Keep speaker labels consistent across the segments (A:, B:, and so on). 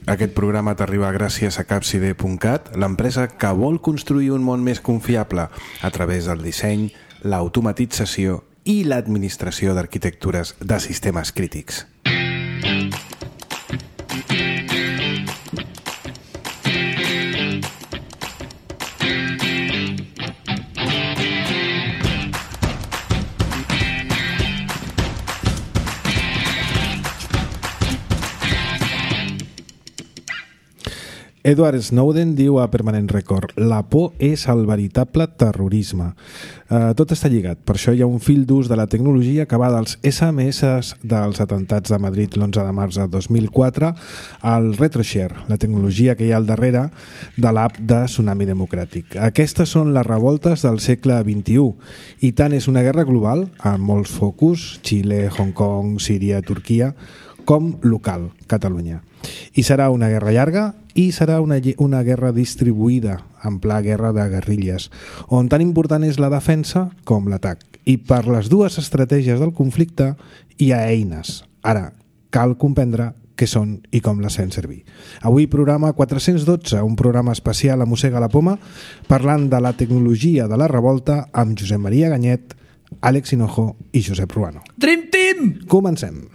A: Aquest programa t'arriba gràcies a Capside.cat, l'empresa que vol construir un món més confiable a través del disseny, l'automatització i l'administració d'arquitectures de sistemes crítics.
B: Edward Snowden diu a Permanent Record: la por és el veritable terrorisme. Tot està lligat, per això hi ha un fil d'ús de la tecnologia que va dels SMS dels atentats de Madrid l'11 de març de 2004 al RetroShare, la tecnologia que hi ha al darrere de l'app de Tsunami Democràtic. Aquestes són les revoltes del segle XXI i tant és una guerra global, amb molts focus, Xile, Hong Kong, Síria, Turquia, com local, Catalunya. I serà una guerra llarga i serà una guerra distribuïda, en pla guerra de guerrilles, on tan important és la defensa com l'atac. I per les dues estratègies del conflicte hi ha eines. Ara, cal comprendre què són i com les fem servir. Avui programa 412, un programa especial a Mossega la Poma, parlant de la tecnologia de la revolta amb Josep Maria Ganyet, Àlex Hinojo i Josep Ruano.
C: Dream Team!
B: Comencem.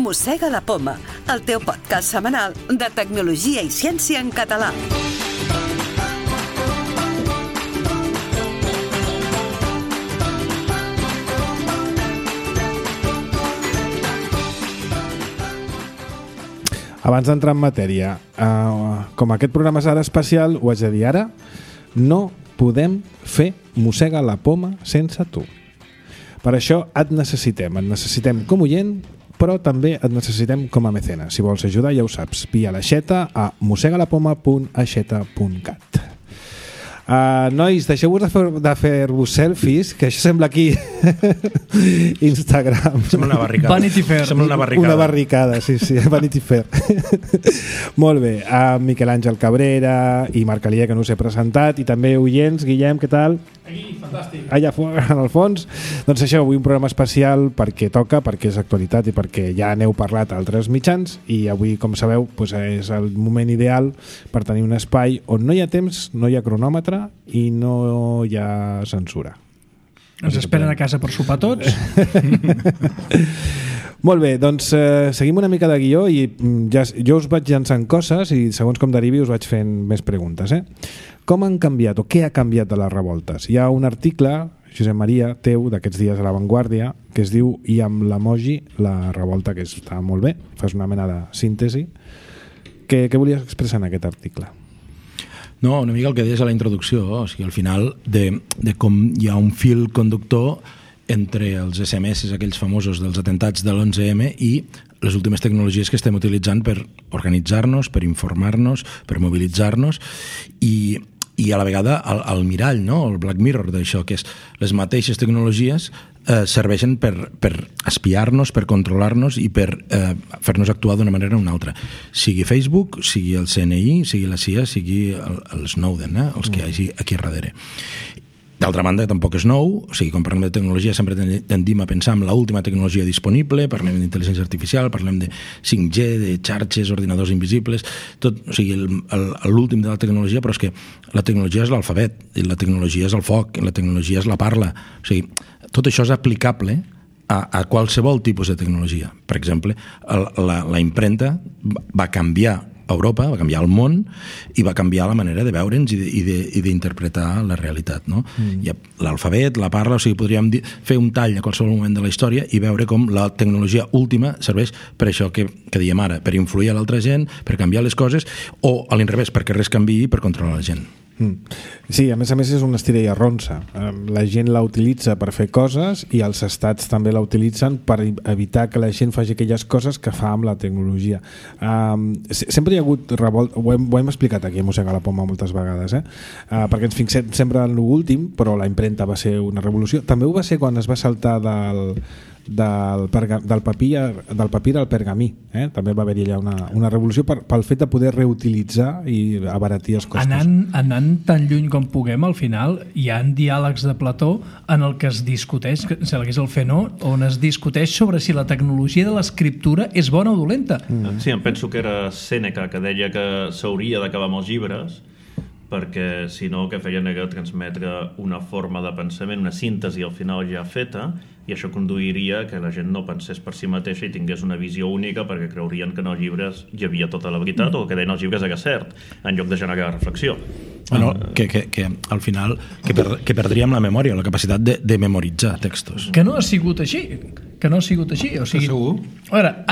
D: Mossega la Poma, el teu podcast setmanal de tecnologia i ciència en català.
B: Abans d'entrar en matèria, com aquest programa serà especial, ho haig de dir ara, no podem fer Mossega la Poma sense tu. Per això et necessitem com oient, però també et necessitem com a mecenes. Si vols ajudar, ja ho saps, via l'aixeta a mossegalapoma.aixeta.cat. Nois, deixeu-vos de fer-vos selfies, que això sembla aquí Instagram.
C: Sembla una barricada. Vanity Fair. Sembla una barricada.
B: Una barricada, sí, Vanity Fair. Molt bé, Miquel Àngel Cabrera i Marc Alier, que no us he presentat, i també oients, Guillem, què tal?
C: Aquí, fantàstic.
B: Allà en el fons. Doncs això, avui un programa especial perquè toca, perquè és actualitat i perquè ja n'heu parlat a altres mitjans, i avui, com sabeu, doncs és el moment ideal per tenir un espai on no hi ha temps, no hi ha cronòmetre i no hi ha censura.
C: Ens esperen a casa per sopar tots.
B: Molt bé, doncs seguim una mica de guió i jo us vaig llançant coses i segons com derivi us vaig fent més preguntes. Com han canviat o què ha canviat de les revoltes? Hi ha un article, Josep Maria, teu, d'aquests dies a La Vanguardia, que es diu "I amb l'emoji la revolta", que està molt bé, fas una mena de síntesi. Què volies expressar en aquest article?
E: No, una mica el que deies a la introducció, o sigui, al final de com hi ha un fil conductor entre els SMS, aquells famosos dels atentats de l'11M, i les últimes tecnologies que estem utilitzant per organitzar-nos, per informar-nos, per mobilitzar-nos, i a la vegada el mirall, no? El Black Mirror d'això, que és les mateixes tecnologies serveixen per espiar-nos, per controlar-nos i per fer-nos actuar d'una manera o una altra. Sigui Facebook, sigui el CNI, sigui la CIA, sigui el Snowden, els que hi hagi aquí darrere. D'altra banda, tampoc és nou, o sigui, quan parlem de tecnologia sempre tendim a pensar en l'última tecnologia disponible, parlem d'intel·ligència artificial, parlem de 5G, de xarxes, ordinadors invisibles, tot, o sigui, l'últim de la tecnologia, però és que la tecnologia és l'alfabet, i la tecnologia és el foc, i la tecnologia és la parla, o sigui, tot això és aplicable a qualsevol tipus de tecnologia. Per exemple, la impremta va canviar Europa, va canviar el món i va canviar la manera de veure'ns i d'interpretar la realitat, no? Hi ha l'alfabet, la parla, o sigui, podríem fer un tall a qualsevol moment de la història i veure com la tecnologia última serveix per això que diem ara, per influir a l'altra gent, per canviar les coses, o a l'inrevés, perquè res canviï per controlar la gent.
B: Sí, a més és una estira i arronsa. La gent la utilitza per fer coses i els estats també la utilitzen per evitar que la gent faci aquelles coses que fa amb la tecnologia. Sempre hi ha hagut revolta, ho hem explicat aquí a Mossega la Poma moltes vegades, perquè ens fixem sempre en l'últim, però la impremta va ser una revolució. També ho va ser quan es va saltar del papir al pergamí. També va haver-hi allà una revolució pel fet de poder reutilitzar i abaratir els costos.
C: Anant tan lluny com puguem, al final hi ha diàlegs de Plató en el que es discuteix, que és el Fenó, on es discuteix sobre si la tecnologia de l'escriptura és bona o dolenta.
F: Sí, em penso que era Sèneca que deia que s'hauria d'acabar amb els llibres, perquè si no el que feien era transmetre una forma de pensament, una síntesi al final ja feta, i això conduiria que la gent no pensés per si mateixa i tingués una visió única, perquè creurien que en els llibres hi havia tota la veritat o que deien els llibres era cert, en lloc de generar reflexió.
E: Bueno, que al final que perdríem la memòria, la capacitat de memoritzar textos.
C: Que no ha sigut així. O sigui,
G: segur?
C: A veure,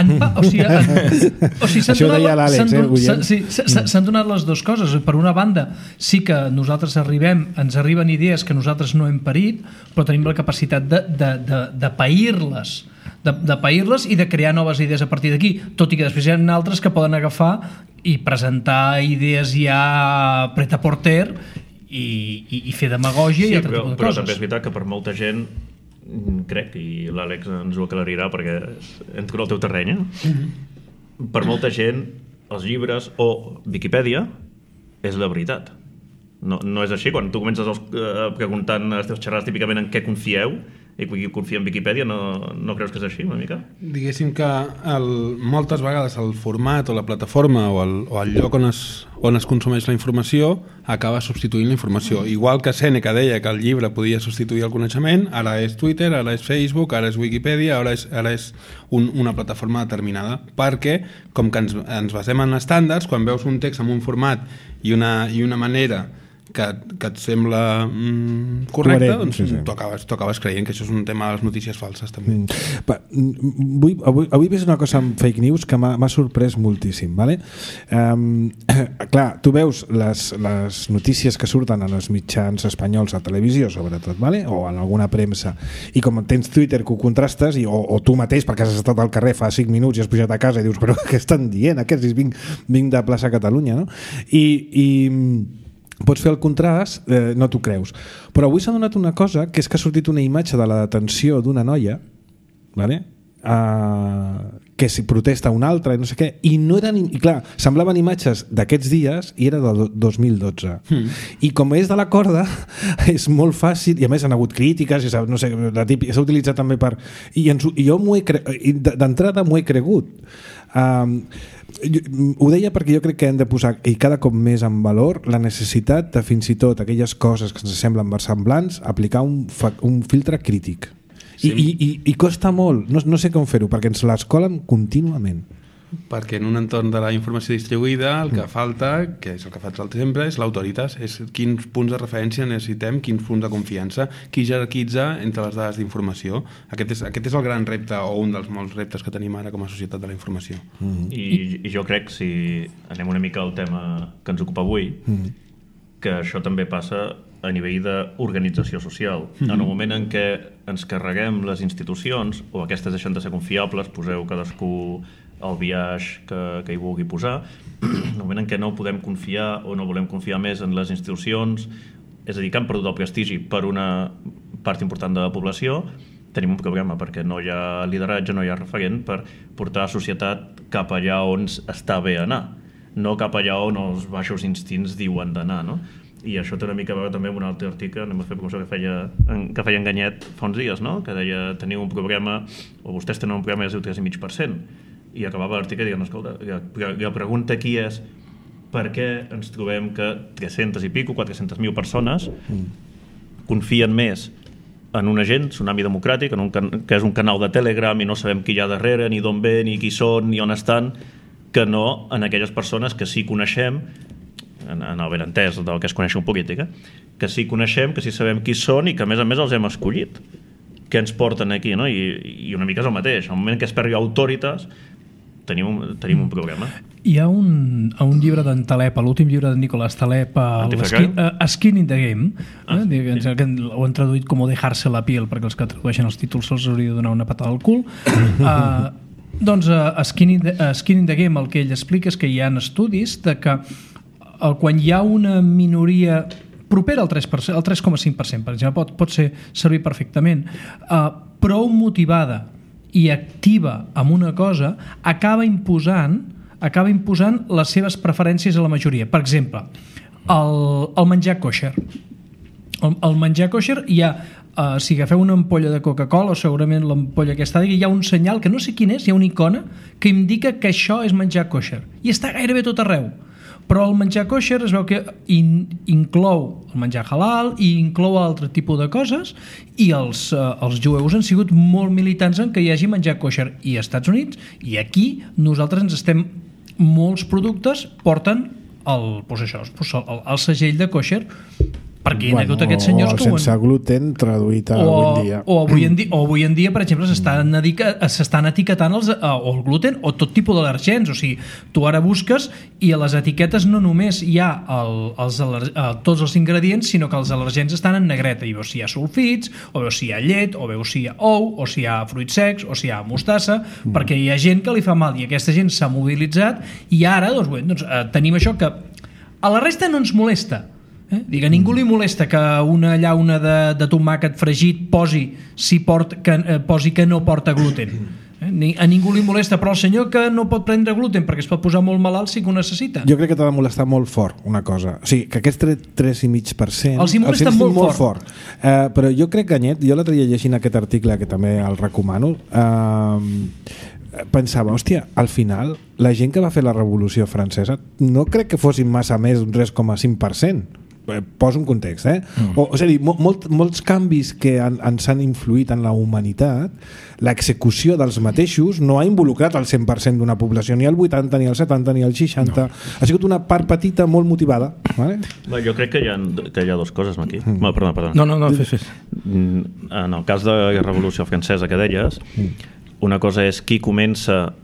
C: s'han donat les dues coses. Per una banda, sí que nosaltres ens arriben idees que nosaltres no hem parit, però tenim la capacitat de pair-les, de pair-les i de crear noves idees a partir d'aquí, tot i que després hi ha altres que poden agafar i presentar idees ja pret-à-porter i fer demagògia i altre tipus de coses.
F: Però també és veritat que per molta gent, crec, i l'Àlex ens ho aclarirà perquè entro al teu terreny, per molta gent els llibres o Viquipèdia és la veritat. No és així. Quan tu comences preguntant a les teves xerrades típicament en què confieu i qui confia en Viquipèdia, no creus que és així una mica?
G: Diguéssim que moltes vegades el format o la plataforma o el lloc on es consumeix la informació acaba substituint la informació. Igual que Sèneca deia que el llibre podia substituir el coneixement, ara és Twitter, ara és Facebook, ara és Wikipedia, ara és una plataforma determinada, perquè com que ens basem en estàndards, quan veus un text amb un format i una manera que et sembla correcte, doncs tu acabes creient que això és un tema de les notícies falses també.
B: Avui he vist una cosa amb fake news que m'ha sorprès moltíssim, vale? Clar, tu veus les notícies que surten en els mitjans espanyols a televisió sobretot, vale? O en alguna premsa, i com tens Twitter que ho contrastes o tu mateix perquè has estat al carrer fa 5 minuts i has pujat a casa i dius, però què estan dient aquests? Vinc de plaça Catalunya, no? I pots fer el contrast, no t'ho creus. Però avui s'ha donat una cosa, que és que ha sortit una imatge de la detenció d'una noia, vale? Que si protesta una altra i no sé què, i clar, semblaven imatges d'aquests dies i era del 2012. I com és de la corda, és molt fàcil, i a més han hagut crítiques, i no sé, s'ha utilitzat també per... I jo d'entrada m'ho he cregut. Ho deia perquè jo crec que hem de posar i cada cop més en valor la necessitat de fins i tot aquelles coses que ens semblen versemblants aplicar un filtre crític. Sí. I costa molt, no sé com fer-ho perquè ens l'escolen contínuament.
G: Perquè en un entorn de la informació distribuïda el que falta, que és el que fa sempre, és l'autoritat, és quins punts de referència necessitem, quins punts de confiança, qui jerarquitza entre les dades d'informació. Aquest és el gran repte o un dels molts reptes que tenim ara com a societat de la informació.
F: I jo crec, si anem una mica al tema que ens ocupa avui, que això també passa a nivell d'organització social. En el moment en què ens carreguem les institucions o aquestes deixen de ser confiables, poseu cadascú el biaix que hi vulgui posar, en el moment en què no podem confiar o no volem confiar més en les institucions, és a dir, que han perdut el prestigi per una part important de la població, tenim un problema perquè no hi ha lideratge, no hi ha referent per portar la societat cap allà on està bé anar, no cap allà on els baixos instints diuen d'anar, no? I això té una mica a veure també amb un altre article, anem a fer promoció que feia Enganyet fa uns dies, no? Que deia, teniu un problema, o vostès tenen un problema i es diu 3,5%. I acabava l'article dient, escolta, la pregunta aquí és per què ens trobem que 300 i pico, 400.000 persones confien més en un agent, Tsunami Democràtic, que és un canal de Telegram i no sabem qui hi ha darrere, ni d'on ve, ni qui són, ni on estan, que no en aquelles persones que sí coneixem, en el benentès del que es coneix en política, que sí coneixem, que sí sabem qui són i que a més els hem escollit, que ens porten aquí, no? I una mica és el mateix. Al moment que es perdi autoritas, tenim un problema.
C: Hi ha un llibre d'en Taleb, l'últim llibre de Nicolás Taleb, Skin in the Game, que ho han traduït com dejarse la piel, perquè els que tradueixen els títols se'ls hauria de donar una patada al cul. Doncs Skin in the Game el que ell explica és que hi ha estudis de que quan hi ha una minoria propera al 3%, al 3,5%, per exemple, pot servir perfectament, prou motivada i activa amb una cosa, acaba imposant les seves preferències a la majoria. Per exemple, el menjar kosher. El menjar kosher hi ha, si agafeu una ampolla de Coca-Cola, o segurament l'ampolla aquesta, hi ha un senyal, que no sé quin és, hi ha una icona que indica que això és menjar kosher. I està gairebé tot arreu. Però el menjar kosher es veu que inclou el menjar halal i inclou altre tipus de coses, i els jueus han sigut molt militants en que hi hagi menjar kosher, i als Estats Units i aquí nosaltres molts productes porten el segell de kosher, perquè hi ha hagut aquests senyors
B: que sense gluten traduït a avui dia.
C: O avui en dia, per exemple, s'estan etiquetant el gluten o tot tipus d'al·lèrgens. O sigui, tu ara busques i a les etiquetes no només hi ha tots els ingredients, sinó que els al·lèrgens estan en negreta, i veus si hi ha sulfits, o veus si hi ha llet, o veus si hi ha ou, o si hi ha fruits secs, o si hi ha mostassa, perquè hi ha gent que li fa mal, i aquesta gent s'ha mobilitzat, i ara tenim això que a la resta no ens molesta. A ningú li molesta que una llauna de tomàquet fregit posi que no porta gluten. A ningú li molesta, però el senyor que no pot prendre gluten perquè es pot posar molt malalt sí que ho necessita.
B: Jo crec que t'ha de molestar molt fort una cosa, o sigui, que aquest 3,5%
C: els hi molesta molt fort.
B: Però jo crec que, Anyet, jo l'altre dia llegint aquest article, que també el recomano, pensava, hòstia, al final la gent que va fer la Revolució Francesa no crec que fossin massa més d'un 3,5%. Poso un context, és a dir, molts canvis que ens han influït en la humanitat, l'execució dels mateixos no ha involucrat el 100% d'una població, ni el 80, ni el 70, ni el 60. Ha sigut una part petita molt motivada, vale?
F: Jo crec que hi ha dues coses aquí. Perdona.
E: No, fes.
F: En el cas de la Revolució Francesa que deies, una cosa és qui comença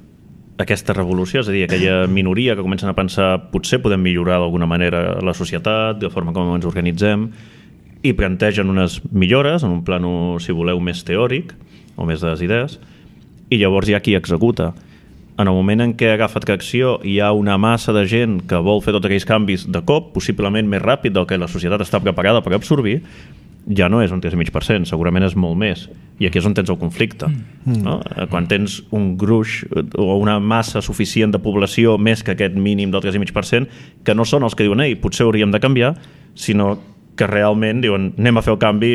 F: aquesta revolució, és a dir, aquella minoria que comencen a pensar potser podem millorar d'alguna manera la societat, de forma com ens organitzem, i plantegen unes millores en un plano, si voleu, més teòric o més de les idees, i llavors hi ha qui executa. En el moment en què agafa tracció hi ha una massa de gent que vol fer tots aquells canvis de cop, possiblement més ràpid del que la societat està preparada per absorbir, ja no és un 3,5%, segurament és molt més, i aquí és on tens el conflicte, no? Quan tens un gruix o una massa suficient de població més que aquest mínim del 3,5%, que no són els que diuen potser hauríem de canviar, sinó que realment diuen anem a fer el canvi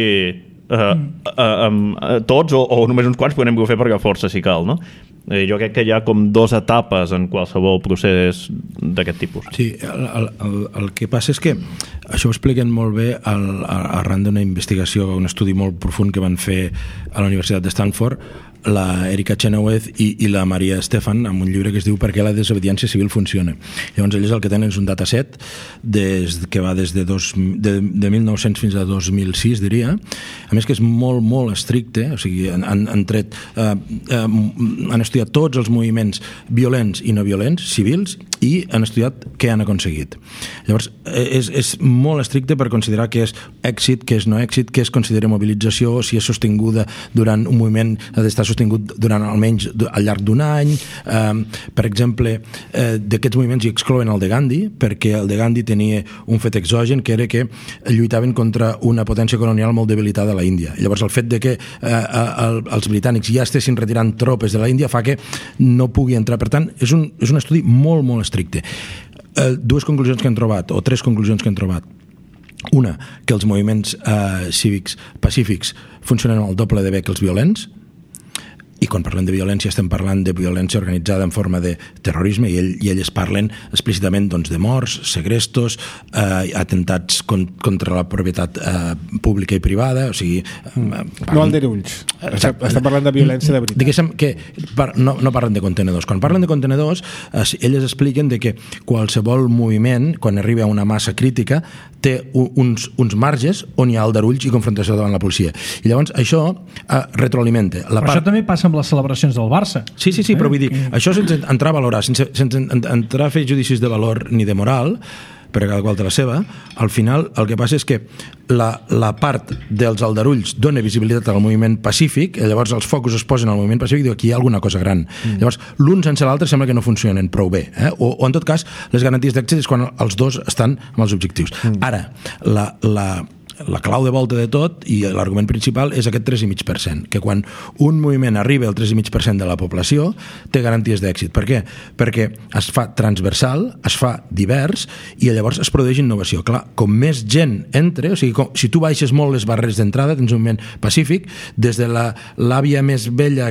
F: tots o només uns quants, però anem a fer perquè força si cal, no? Jo crec que hi ha com dues etapes en qualsevol procés d'aquest tipus.
E: Sí, el que passa és que això ho expliquen molt bé arran d'una investigació, un estudi molt profund que van fer a la Universitat de Stanford, la Erika Chenoweth i la Maria Stefan, amb un llibre que es diu Per què la desobediència civil funciona. Llavors ells el que tenen és un dataset que va des de 1900 fins a 2006, diria, a més que és molt, molt estricte, o sigui, han estudiat tots els moviments violents i no violents, civils, i han estudiat què han aconseguit. Llavors, és molt estricte per considerar què és èxit, què és no èxit, què es considera mobilització, si és sostinguda durant un moviment, ha d'estar sostingut durant almenys al llarg d'un any. Per exemple, d'aquests moviments hi exclouen el de Gandhi, perquè el de Gandhi tenia un fet exogen, que era que lluitaven contra una potència colonial molt debilitada a la Índia. Llavors, el fet de que els britànics ja estessin retirant tropes de la Índia fa que no pugui entrar. Per tant, és un estudi molt, molt estricte. Dues conclusions que han trobat, o tres conclusions que han trobat. Una, que els moviments cívics pacífics funcionen al doble de bé que els violents, i quan parlem de violència estem parlant de violència organitzada en forma de terrorisme, i elles parlen explícitament de morts, segrestos, atentats contra la propietat pública i privada, o sigui...
B: No aldarulls, estem parlant de violència de veritat.
E: Diguéssim que no parlen de contenedors. Quan parlen de contenedors, elles expliquen que qualsevol moviment, quan arriba a una massa crítica, té uns marges on hi ha aldarulls i confrontació davant la policia. I llavors això retroalimenta.
C: Això també passa amb les celebracions del Barça.
E: Sí, però vull dir, això sense entrar a valorar, sense entrar a fer judicis de valor ni de moral, per a cada qual té la seva, al final el que passa és que la part dels aldarulls dona visibilitat al moviment pacífic, i llavors els focus es posen al moviment pacífic i diu aquí hi ha alguna cosa gran. Llavors, l'un sense l'altre sembla que no funcionen prou bé, o en tot cas, les garanties d'èxit és quan els dos estan amb els objectius. Ara, la clau de volta de tot i l'argument principal és aquest 3,5%, que quan un moviment arriba al 3,5% de la població té garanties d'èxit. Per què? Perquè es fa transversal, es fa divers i llavors es produeix innovació. Clar, com més gent entre, o sigui, si tu baixes molt les barreres d'entrada, tens un moviment pacífic, des de l'àvia més vella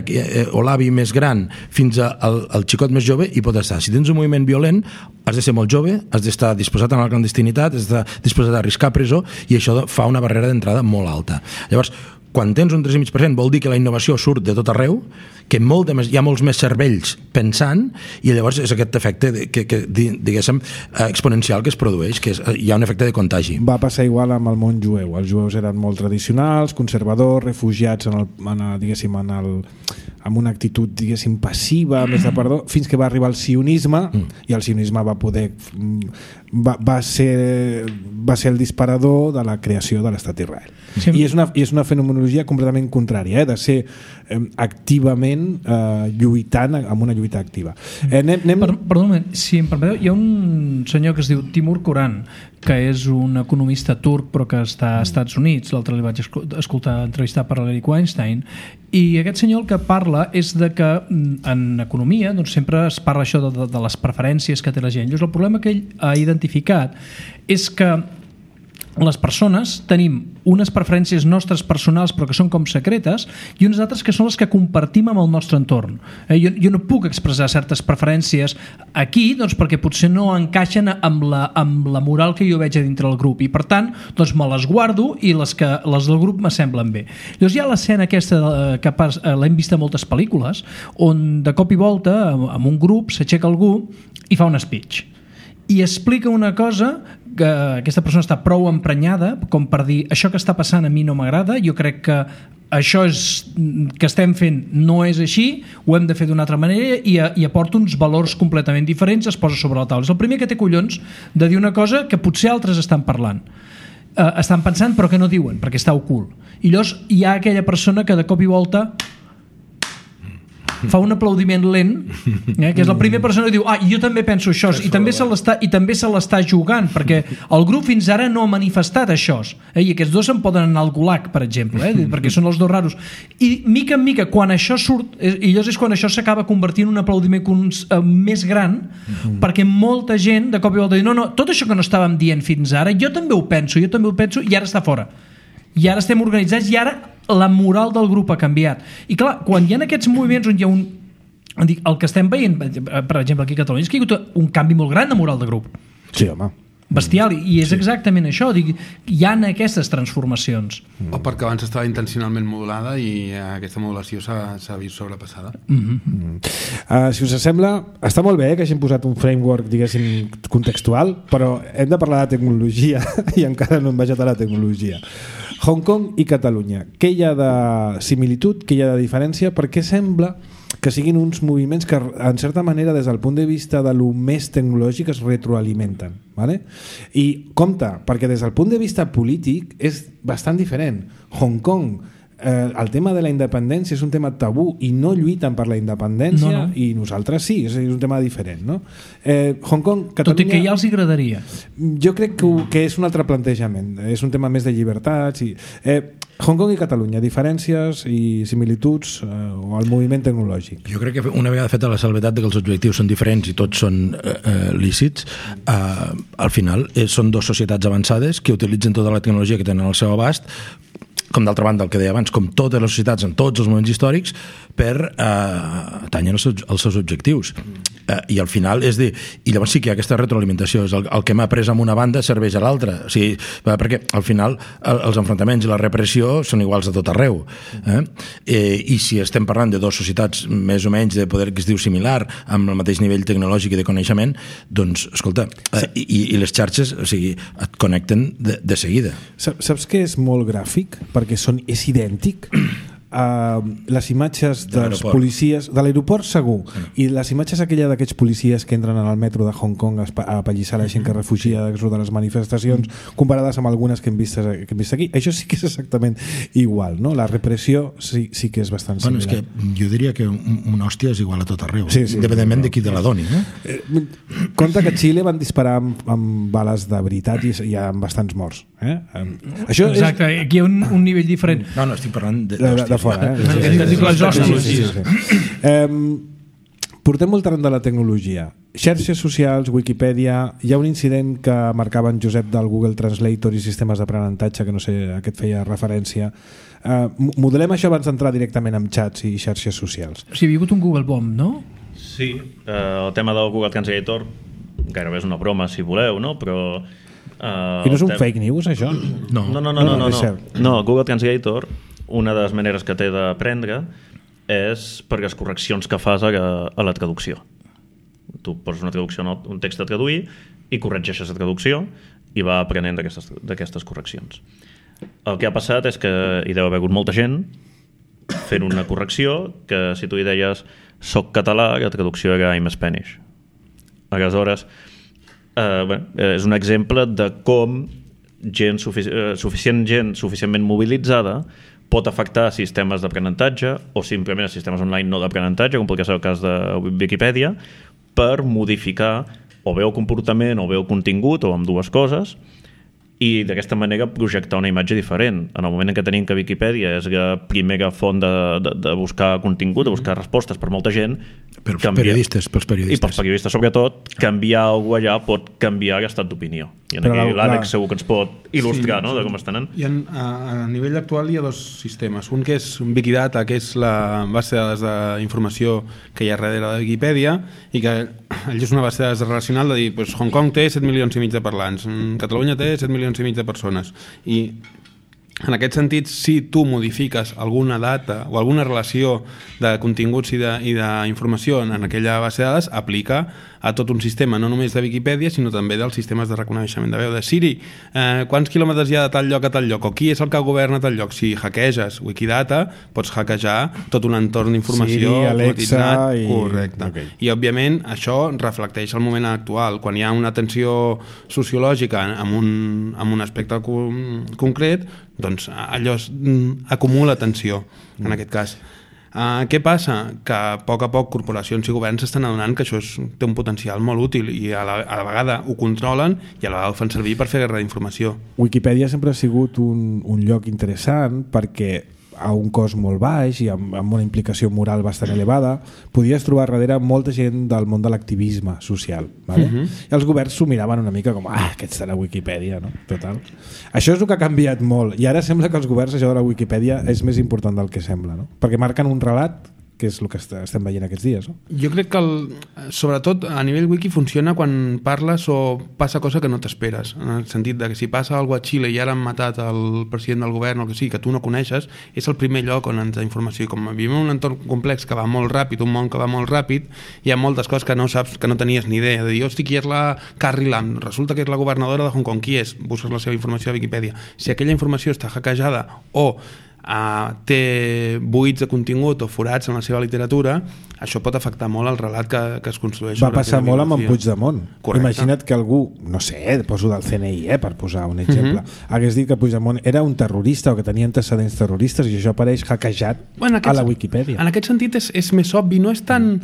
E: o l'avi més gran fins al xicot més jove hi pot estar. Si tens un moviment violent has de ser molt jove, has d'estar disposat a la clandestinitat, has d'estar disposat a arriscar presó i això fa una barrera d'entrada molt alta. Llavors, quan tens un 3,5% vol dir que la innovació surt de tot arreu, que hi ha molts més cervells pensant i llavors és aquest efecte diguéssim exponencial que es produeix, que hi ha un efecte de contagi.
B: Va passar igual amb el món jueu. Els jueus eren molt tradicionals, conservadors, refugiats amb una actitud, diguéssim, passiva, més de perdó, fins que va arribar el sionisme i el sionisme va ser el disparador de la creació de l'estat d'Israel. Sí. I és una fenomenologia completament contrària, de ser activament lluitant, amb una lluita activa.
C: Perdó un moment, si em permeteu, hi ha un senyor que es diu Timur Kuran, que és un economista turc però que està als Estats Units. L'altre li vaig escoltar entrevistar per l'Eric Weinstein, i aquest senyor el que parla és de que en economia doncs, sempre es parla això de les preferències que té la gent. Llavors, el problema que ell ha identificat és que les persones tenim unes preferències nostres personals però que són com secretes i unes altres que són les que compartim amb el nostre entorn. Jo no puc expressar certes preferències aquí doncs, perquè potser no encaixen amb la moral que jo veig a dintre del grup i per tant doncs, me les guardo i les del grup m'assemblen bé. Llavors hi ha l'escena aquesta que l'hem vist a moltes pel·lícules on de cop i volta amb un grup s'aixeca algú i fa un speech i explica una cosa que aquesta persona està prou emprenyada com per dir això que està passant a mi no m'agrada, jo crec que això que estem fent no és així, ho hem de fer d'una altra manera i aporta uns valors completament diferents, es posa sobre la taula. És el primer que té collons de dir una cosa que potser altres estan parlant, estan pensant però que no diuen perquè està ocult. I llavors hi ha aquella persona que de cop i volta fa un aplaudiment lent, que és la primera persona que diu jo també penso això i també se l'està jugant perquè el grup fins ara no ha manifestat això i aquests dos se'n poden anar al gulag per exemple, perquè són els dos raros i mica en mica quan això surt i llavors és quan això s'acaba convertint en un aplaudiment més gran perquè molta gent de cop i volta diu no, tot això que no estàvem dient fins ara jo també ho penso i ara està fora i ara estem organitzats i ara la moral del grup ha canviat. I clar, quan hi ha aquests moviments on hi ha el que estem veient, per exemple aquí a Catalunya, és que hi ha hagut un canvi molt gran de moral de grup.
B: Sí, home.
C: Bestial, i és exactament això, hi ha aquestes transformacions.
G: O perquè abans estava intencionalment modulada i aquesta modulació s'ha vist sobrepassada.
B: Si us sembla, està molt bé que hagin posat un framework, diguéssim, contextual, però hem de parlar de tecnologia i encara no hem baixat a la tecnologia. Hong Kong i Catalunya, què hi ha de similitud, què hi ha de diferència, perquè sembla que siguin uns moviments que en certa manera des del punt de vista de lo més tecnològic es retroalimenten, ¿vale? I compte, perquè des del punt de vista polític és bastant diferent. Hong Kong, el tema de la independència és un tema tabú i no lluiten per la independència i nosaltres sí, és un tema diferent, no? Hong Kong, Catalunya,
C: tot i que ja els agradaria.
B: Jo crec que és un altre plantejament, és un tema més de llibertats i... Hong Kong i Catalunya, diferències i similituds o el moviment tecnològic.
E: Jo crec que una vegada feta la salvetat de que els objectius són diferents i tots són lícits, al final són dues societats avançades que utilitzen tota la tecnologia que tenen al seu abast, com d'altra banda el que deia abans, com totes les societats en tots els moments històrics per atènyer els seus objectius. I al final és dir, i llavors sí que hi ha aquesta retroalimentació, és el que m'ha après amb una banda serveix a l'altra, o sigui, perquè al final els enfrontaments i la repressió són iguals a tot arreu, i si estem parlant de dues societats més o menys de poder que es diu similar, amb el mateix nivell tecnològic i de coneixement, doncs escolta, i les xarxes, o sigui, et connecten de seguida.
B: Saps que és molt gràfic? Perquè és idèntic. les imatges dels policies de l'aeroport segur, i les imatges aquella d'aquests policies que entren en el metro de Hong Kong a apallissar la gent que refugia de les manifestacions, comparades amb algunes que hem vist aquí, això sí que és exactament igual, no? La repressió sí que és bastant similar.
E: És que jo diria que una hòstia és igual a tot arreu, independentment de qui te la doni.
B: Compte que a Xile van disparar amb bales de veritat i hi ha bastants morts. Això
C: exacte, aquí hi ha un nivell diferent.
E: No, estic parlant
B: de fora.
C: Les hòsties.
B: Portem molt tard de la tecnologia. Xarxes socials, Wikipedia, hi ha un incident que marcava en Josep del Google Translator i sistemes d'aprenentatge, que no sé a què et feia referència. Modelem això abans d'entrar directament amb xats i xarxes socials.
C: O sigui, hi ha hagut un Google Bomb, no?
F: Sí, el tema del Google Translator gairebé és una broma, si voleu, no? Però...
B: I no és un fake news, això?
F: No, Google Translator, una de les maneres que té d'aprendre és per les correccions que fas a la traducció. Tu poses una traducció, un text a traduir, i corregeixes la traducció i va aprenent d'aquestes correccions. El que ha passat és que hi deu haver hagut molta gent fent una correcció que si tu hi deies soc català, la traducció era I'm Spanish. Aleshores, és un exemple de com gent suficientment mobilitzada pot afectar sistemes d'aprenentatge o simplement sistemes online no d'aprenentatge, com podria ser el cas de Wikipedia, per modificar o bé el comportament o bé el contingut o amb dues coses, i d'aquesta manera projectar una imatge diferent. En el moment en què tenim que Wikipedia és la primera font de buscar contingut, de buscar respostes per molta gent,
E: pels periodistes.
F: I pels periodistes sobretot, canviar alguna cosa allà pot canviar l'estat d'opinió. I aquí l'Àlex segur que ens pot il·lustrar de com estan.
G: A nivell actual hi ha dos sistemes. Un que és Wikidata, que és la base de dades d'informació que hi ha darrere de Wikipedia, i que és una base de dades relacional de dir, Hong Kong té 7 milions i mig de parlants, Catalunya té 7 milions i mig de persones, i en aquest sentit, si tu modifiques alguna data o alguna relació de continguts i d'informació en aquella base de dades, aplica a tot un sistema, no només de Wikipedia, sinó també dels sistemes de reconeixement de veu. De Siri, quants quilòmetres hi ha de tal lloc a tal lloc, o qui és el que governa tal lloc? Si hackeges Wikidata, pots hackejar tot un entorn d'informació
B: automatitzat.
G: Correcte. Okay. I, òbviament, això reflecteix el moment actual. Quan hi ha una tensió sociològica amb un aspecte concret, doncs allò acumula tensió, en aquest cas. Què passa? Que a poc corporacions i governs s'estan adonant que això té un potencial molt útil i a la vegada ho controlen i a la vegada ho fan servir per fer guerra d'informació.
B: Wikipedia sempre ha sigut un lloc interessant perquè a un cost molt baix i amb una implicació moral bastant elevada podies trobar darrere molta gent del món de l'activisme social, vale? I els governs s'ho miraven una mica com aquests de la Wikipedia, no? Total. Això és el que ha canviat molt i ara sembla que els governs això de la Wikipedia és més important del que sembla, no? Perquè marquen un relat que és el que estem veient aquests dies, no?
G: Jo crec que sobretot a nivell wiki funciona quan parles o passa cosa que no t'esperes, en el sentit de que si passa alguna cosa a Xile i ara han matat el president del govern o que sí, que tu no coneixes, és el primer lloc on ens da informació, i com vivim en un entorn complex que va molt ràpid, un món que va molt ràpid, hi ha moltes coses que no saps, que no tenies ni idea, de dir, hosti, qui és la Carrie Lam? Resulta que és la governadora de Hong Kong. Qui és? Busques la seva informació a Wikipedia. Si aquella informació està hackejada o té buits de contingut o forats en la seva literatura, això pot afectar molt el relat que es construeix.
B: Va passar molt amb en Puigdemont. Correcte. Imagina't que algú, no sé, poso del CNI, per posar un exemple, hagués dit que Puigdemont era un terrorista o que tenia antecedents terroristes i això apareix hackejat a la Wikipedia.
G: En aquest sentit és més obvi, no és tant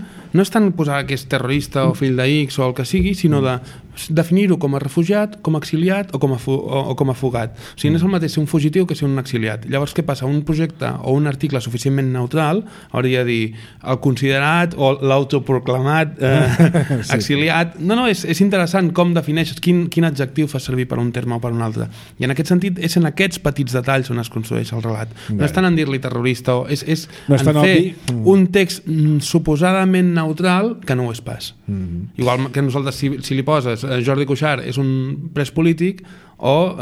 G: posar que és terrorista o fill d'X o el que sigui, sinó de definir-ho com a refugiat, com a exiliat o com a fugat. O sigui, no és el mateix ser un fugitiu que ser un exiliat. Llavors, què passa? Un projecte o un article suficientment neutral hauria de dir el considerat o l'autoproclamat exiliat. No, és interessant com defineixes, quin adjectiu fas servir per un terme o per un altre. I en aquest sentit és en aquests petits detalls on es construeix el relat. No és tant en dir-li terrorista o és en fer un text suposadament neutral que no ho és pas. Igual que nosaltres si li poses Jordi Cuixart és un pres polític o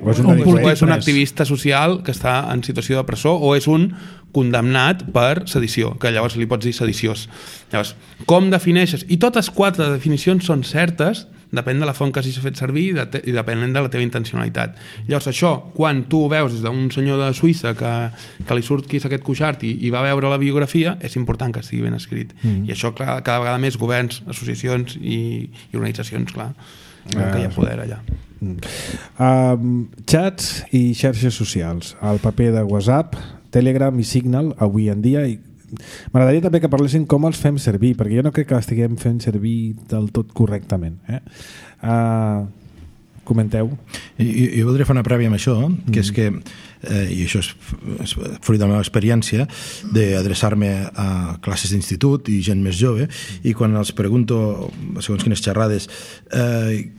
G: és un activista social que està en situació de presó o és un condemnat per sedició, que llavors li pots dir sediciós. Llavors, com defineixes? I totes 4 definicions són certes depèn de la font que hagis fet servir i depenent de la teva intencionalitat. Llavors això, quan tu ho veus des d'un senyor de Suïssa que li surt qui és aquest Cuixart i va veure la biografia, és important que estigui ben escrit. I això, clar, cada vegada més governs, associacions i organitzacions, clar, que hi ha poder allà.
B: Chats i xarxes socials, el paper de WhatsApp, Telegram i Signal avui en dia, i m'agradaria també que parlessin com els fem servir, perquè jo no crec que estiguem fent servir del tot correctament. Comenteu.
E: Jo voldria fer una prèvia amb això, que és que, i això és fruit de la meva experiència, d'adreçar-me a classes d'institut i gent més jove, i quan els pregunto, segons quines xerrades,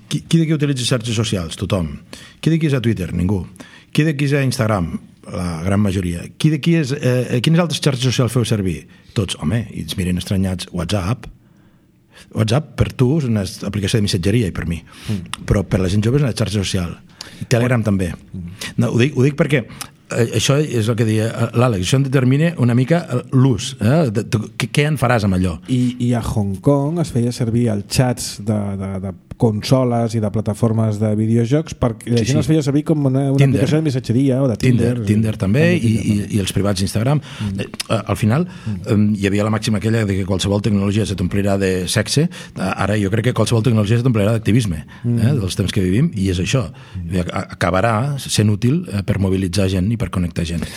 E: qui d'aquí utilitza xarxes socials? Tothom. Qui d'aquí és a Twitter? Ningú. Qui d'aquí és a Instagram? La gran majoria. Qui d'aquí és... quines altres xarxes socials feu servir? Tots, home, i ens miren estranyats. WhatsApp per tu és una aplicació de missatgeria i per mi, però per la gent jove és una xarxa social. Telegram també. No, ho dic perquè això és el que deia l'Àlex, això en determina una mica l'ús, què en faràs amb allò.
B: I a Hong Kong es feia servir els xats de consoles i de plataformes de videojocs perquè la gent es feia servir com una aplicació de missatgeria o de
E: Tinder també i els privats d'Instagram. Al final hi havia la màxima aquella de que qualsevol tecnologia se t'omplirà de sexe. Ara jo crec que qualsevol tecnologia se t'omplirà d'activisme dels temps que vivim, i és això, acabarà sent útil per mobilitzar gent i per connectar gent.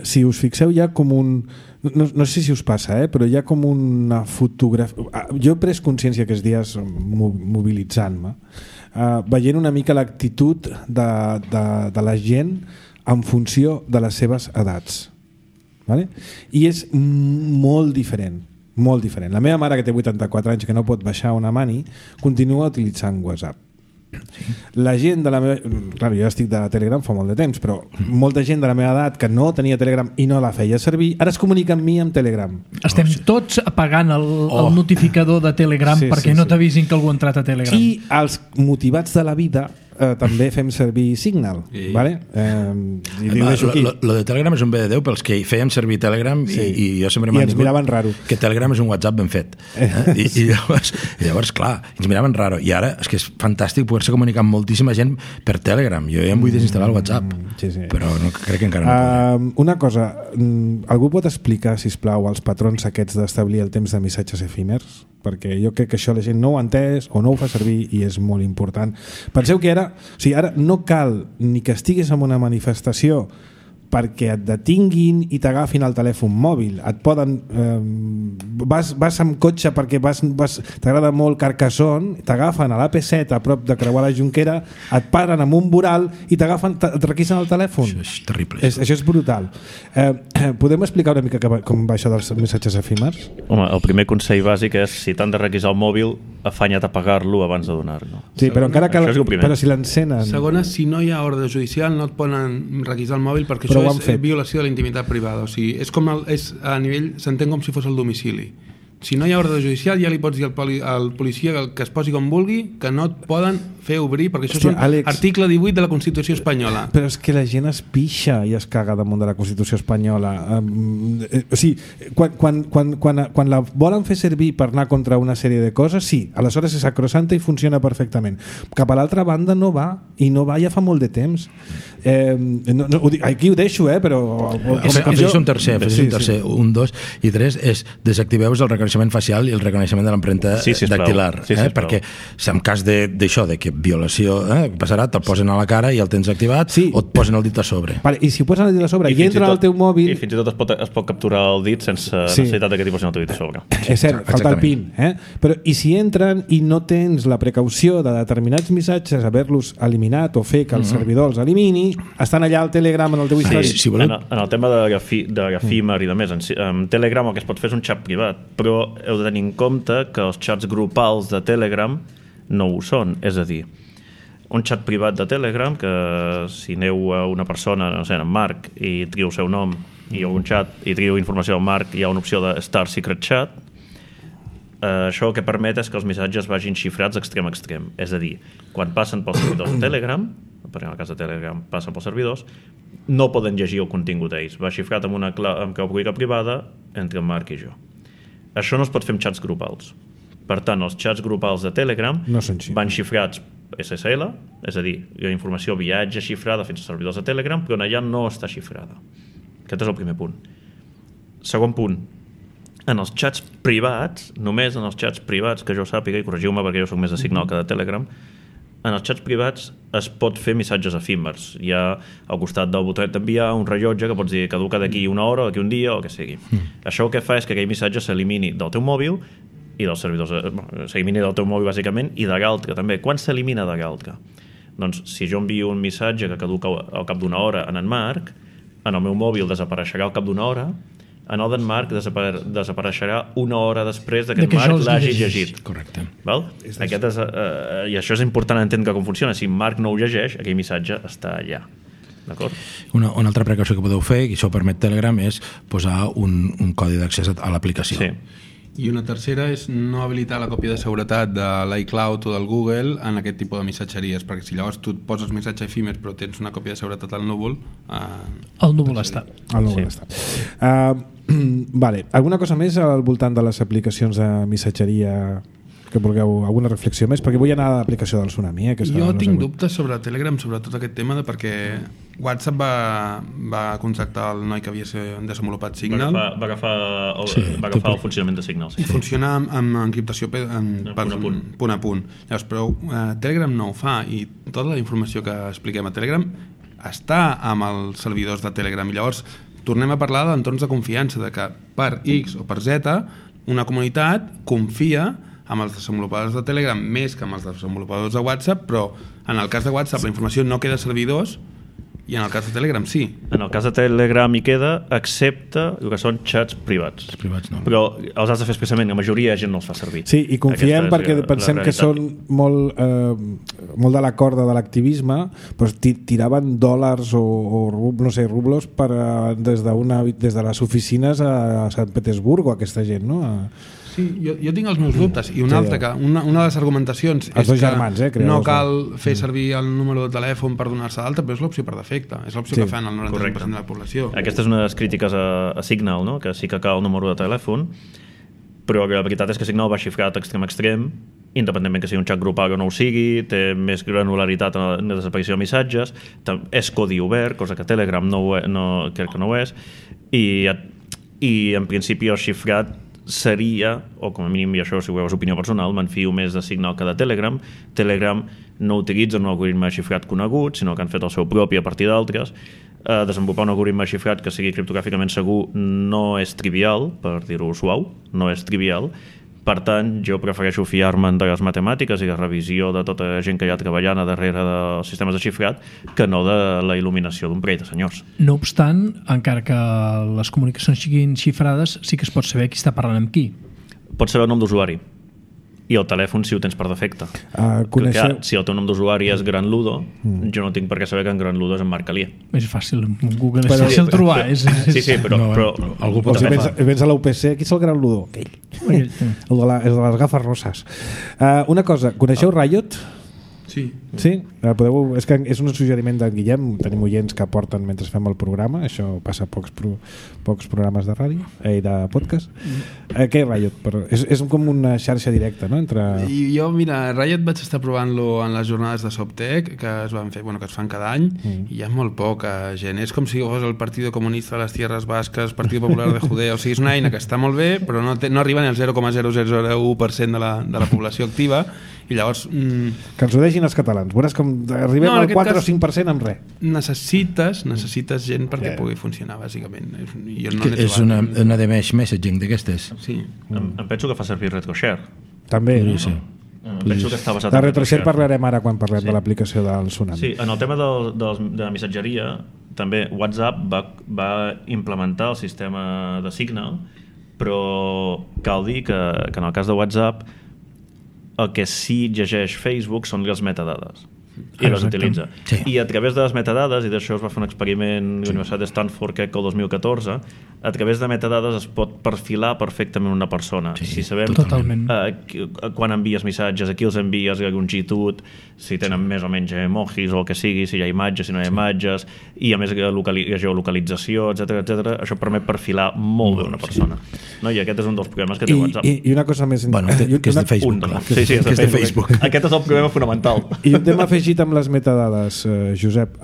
B: Si us fixeu, hi ha com un... No sé si us passa, però hi ha com una fotografia... Jo he pres consciència aquests dies mobilitzant-me, veient una mica l'actitud de la gent en funció de les seves edats. Vale? I és molt diferent. Molt diferent. La meva mare, que té 84 anys, que no pot baixar una mani, continua utilitzant WhatsApp. La gent de la meva... Clar, jo estic de Telegram fa molt de temps, però molta gent de la meva edat que no tenia Telegram i no la feia servir, ara es comunica amb mi amb Telegram.
C: Estem tots apagant el notificador de Telegram perquè no t'avisin que algú ha entrat a Telegram.
B: I els motivats de la vida també fem servir Signal, vale?
E: Lo de Telegram és un bé de Déu pels que fèiem servir Telegram i jo sempre
B: i ens miraven raro
E: que Telegram és un WhatsApp ben fet i llavors clar, ens miraven raro, i ara és que és fantàstic poder-se comunicar amb moltíssima gent per Telegram. Jo ja em vull desinstal·lar el WhatsApp, però no, crec que encara no puc.
B: Una cosa, algú pot explicar, sisplau, els patrons aquests d'establir el temps de missatges efímers? Perquè jo crec que això la gent no ho ha entès o no ho fa servir i és molt important. Penseu que ara no cal ni que estiguis en una manifestació perquè et detinguin i t'agafin el telèfon mòbil. Et poden... vas amb cotxe perquè t'agrada molt Carcassonne, t'agafen a l'AP7 a prop de creuar la Jonquera, et paren amb un voral i et requisen el telèfon.
E: Això és terrible.
B: Això és brutal. Podem explicar una mica com va això dels missatges efímers?
F: Home, el primer consell bàsic és, si t'han de requisar el mòbil, afanya't a pagar-lo abans de donar-lo.
B: Sí, però encara cal... Però si l'encenen...
G: Segona, si no hi ha ordre judicial no et poden requisar el mòbil perquè això és violació de la intimitat privada. O sigui, és com a nivell, s'entén com si fos el domicili. Si no hi ha ordre judicial ja li pots dir al policia que es posi com vulgui, que no et poden fer obrir, perquè això és article 18 de la Constitució espanyola.
B: Però és que la gent es pixa i es caga damunt de la Constitució espanyola. O sigui, quan la volen fer servir per anar contra una sèrie de coses, sí, aleshores és sacrosanta i funciona perfectament. Cap a l'altra banda no va, i no va ja fa molt de temps. Aquí ho deixo, però...
E: Afegeix un tercer. Un, dos i tres és desactiveu el reconeixement facial i el reconeixement de l'empremta dactilar, perquè si en cas d'això, de que violació passarà, te'l posen a la cara i el tens activat, o et posen el dit a sobre.
B: Vale, i si ho posen el dit a sobre i entra al teu mòbil...
F: I fins i tot es pot capturar el dit sense necessitat que t'hi posin el teu dit a sobre.
B: És cert, falta el PIN. Però i si entren i no tens la precaució de determinats missatges haver-los eliminat o fer que el servidor els elimini, estan allà al Telegram en el teu històric.
F: En el tema de efímer i de més, en Telegram el que es pot fer és un xat privat, però heu de tenir en compte que els xats grupals de Telegram no ho són, és a dir, un xat privat de Telegram, que si aneu a una persona, no sé, en Marc, i trieu el seu nom i un xat i trieu informació del Marc, hi ha una opció de Start Secret Chat. Això el que permet és que els missatges vagin xifrats extrem a extrem, és a dir, quan passen pels servidors de Telegram, perquè en el cas de Telegram passen pels servidors, no poden llegir el contingut d'ells, va xifrat amb clau pública privada entre en Marc i jo. Això no es pot fer amb xats grupals. Per tant, els xats grupals de Telegram
B: No són xifres.
F: van xifrats SSL, és a dir, la informació viatja xifrada fins als servidors de Telegram, però allà no està xifrada. Aquest és el primer punt. Segon punt, en els xats privats, només en els xats privats, que jo sàpiga, i corregiu-me perquè jo soc més de Signal que de Telegram, en els xats privats es pot fer missatges efímers. Hi ha al costat del botonet d'enviar un rellotge que pots dir caduca d'aquí una hora, d'aquí un dia, o el que sigui. Això el que fa és que aquell missatge s'elimini del teu mòbil i dels servidors, s'elimini del teu mòbil bàsicament, i de l'altre també. Quan s'elimina de l'altre? Doncs si jo envio un missatge que caduca al cap d'una hora en Marc, en el meu mòbil desapareixerà al cap d'una hora, en el d'en Marc desapareixerà una hora després que en Marc l'hagi llegit.
E: Correcte.
F: Val? Aquest és, i això és important entendre com funciona. Si Marc no ho llegeix, aquell missatge està allà. D'acord?
E: Una altra precaució que podeu fer, i això permet Telegram, és posar un codi d'accés a l'aplicació.
F: Sí.
G: I una tercera és no habilitar la còpia de seguretat de l'iCloud o del Google en aquest tipus de missatgeries, perquè si llavors tu et poses missatge efímer però tens una còpia de seguretat al núvol...
C: El núvol està.
B: El núvol està. Vale. Alguna cosa més al voltant de les aplicacions de missatgeria que vulgueu, alguna reflexió més? Perquè vull anar a l'aplicació del Tsunami. Que
G: jo tinc dubtes sobre Telegram, sobre tot aquest tema, perquè WhatsApp va contractar el noi que havia desenvolupat Signal.
F: Va agafar el funcionament de Signal.
G: I funciona amb encriptació punt a punt. Llavors, però Telegram no ho fa, i tota la informació que expliquem a Telegram està amb els servidors de Telegram. I llavors tornem a parlar d'entorns de confiança, de que per X o per Z una comunitat confia amb els desenvolupadors de Telegram més que amb els desenvolupadors de WhatsApp, però en el cas de WhatsApp la informació no queda a servidors i en el cas de Telegram sí.
F: En el cas de Telegram hi queda, excepte el que són xats privats.
E: Els privats no.
F: Però els has de fer expressament, la majoria de gent no els fa servir.
B: Sí, i confiem perquè pensem que són molt de la corda de l'activisme, però tiraven dòlars o no sé, rublos des de les oficines a Sant Petersburg, aquesta gent, no?
G: Sí, jo tinc els meus dubtes, i una de les argumentacions és
B: germans,
G: que no cal fer servir el número de telèfon per donar-se d'alta, però és l'opció per defecte, és l'opció que fan el 90% de la població.
F: Aquesta és una de les crítiques a Signal, no? Que sí que cal el número de telèfon, però la veritat és que Signal va xifrat extrem a extrem, independentment que sigui un xat grupal o no ho sigui, té més granularitat en la desaparició de missatges, és codi obert, cosa que Telegram crec que no ho és, i en principi el xifrat seria, o com a mínim, i això si ho veus opinió personal, m'enfio més de Signal que de Telegram. Telegram no utilitza un algoritme xifrat conegut, sinó que han fet el seu propi a partir d'altres. Desenvolupar un algoritme xifrat que sigui criptogràficament segur no és trivial, per dir-ho suau, no és trivial. Per tant, jo prefereixo fiar-me'n de les matemàtiques i de revisió de tota la gent que hi ha treballant a darrere dels sistemes de xifrat que no de la il·luminació d'un parell de senyors.
C: No obstant, encara que les comunicacions siguin xifrades, sí que es pot saber qui està parlant amb qui.
F: Pots saber el nom d'usuari i el telèfon si ho tens per defecte. Si el teu nom d'usuari és Gran Ludo, jo no tinc per què saber que en Gran Ludo és en Marc Alier.
C: És fàcil, Google és fàcil trobar.
F: Sí, però algú pot
B: fer. Si vens a la UPC, qui és el Gran Ludo? Aquell. El de les gafes roses. Una cosa, coneixeu Riot?
G: Sí.
B: Sí? És que és un suggeriment d'en Guillem, tenim oients que aporten mentre fem el programa, això passa a pocs programes de ràdio i de podcast. Què és Riot? És com una xarxa directa, no?
G: Jo, mira, Riot vaig estar provant-lo en les jornades de SOPTEC que es van fer, que es fan cada any, i hi ha molt poca gent. És com si fos el Partido Comunista de les Tierras Basques, Partido Popular de Judea, o sigui, és una eina que està molt bé, però no arriba ni al 0,0001% de la població activa, i llavors...
B: Que ens ho deixin els catalans. Veuràs com arribem al 4 o 5% amb res.
G: Necessites gent perquè pugui funcionar, bàsicament.
E: És una de mesh messaging d'aquestes.
G: Sí.
F: Em penso que fa servir RetroShare.
B: També.
E: Sí.
F: Penso que està basat
B: de RetroShare parlarem ara quan parlem de l'aplicació del Tsunami.
F: Sí, en el tema de la missatgeria, també WhatsApp va implementar el sistema de Signal, però cal dir que en el cas de WhatsApp el que sí llegeix Facebook són les metadades. i les utilitza.
E: Sí.
F: I a través de les metadades, i d'això es va fer un experiment a la Universitat de Stanford, crec que el 2014, a través de metadades es pot perfilar perfectament una persona. Si sabem quan envies missatges, a qui els envies, la longitud, si tenen més o menys emojis o el que sigui, si hi ha imatges, si no hi ha imatges, i a més la geolocalització, etc. Això permet perfilar molt bé una persona. No? I aquest és un dels problemes que té WhatsApp.
B: I una cosa més...
E: Bueno, que és de Facebook.
F: Sí, és de Facebook. Aquest és el problema fonamental.
B: I un tema afegit amb les metadades, Josep,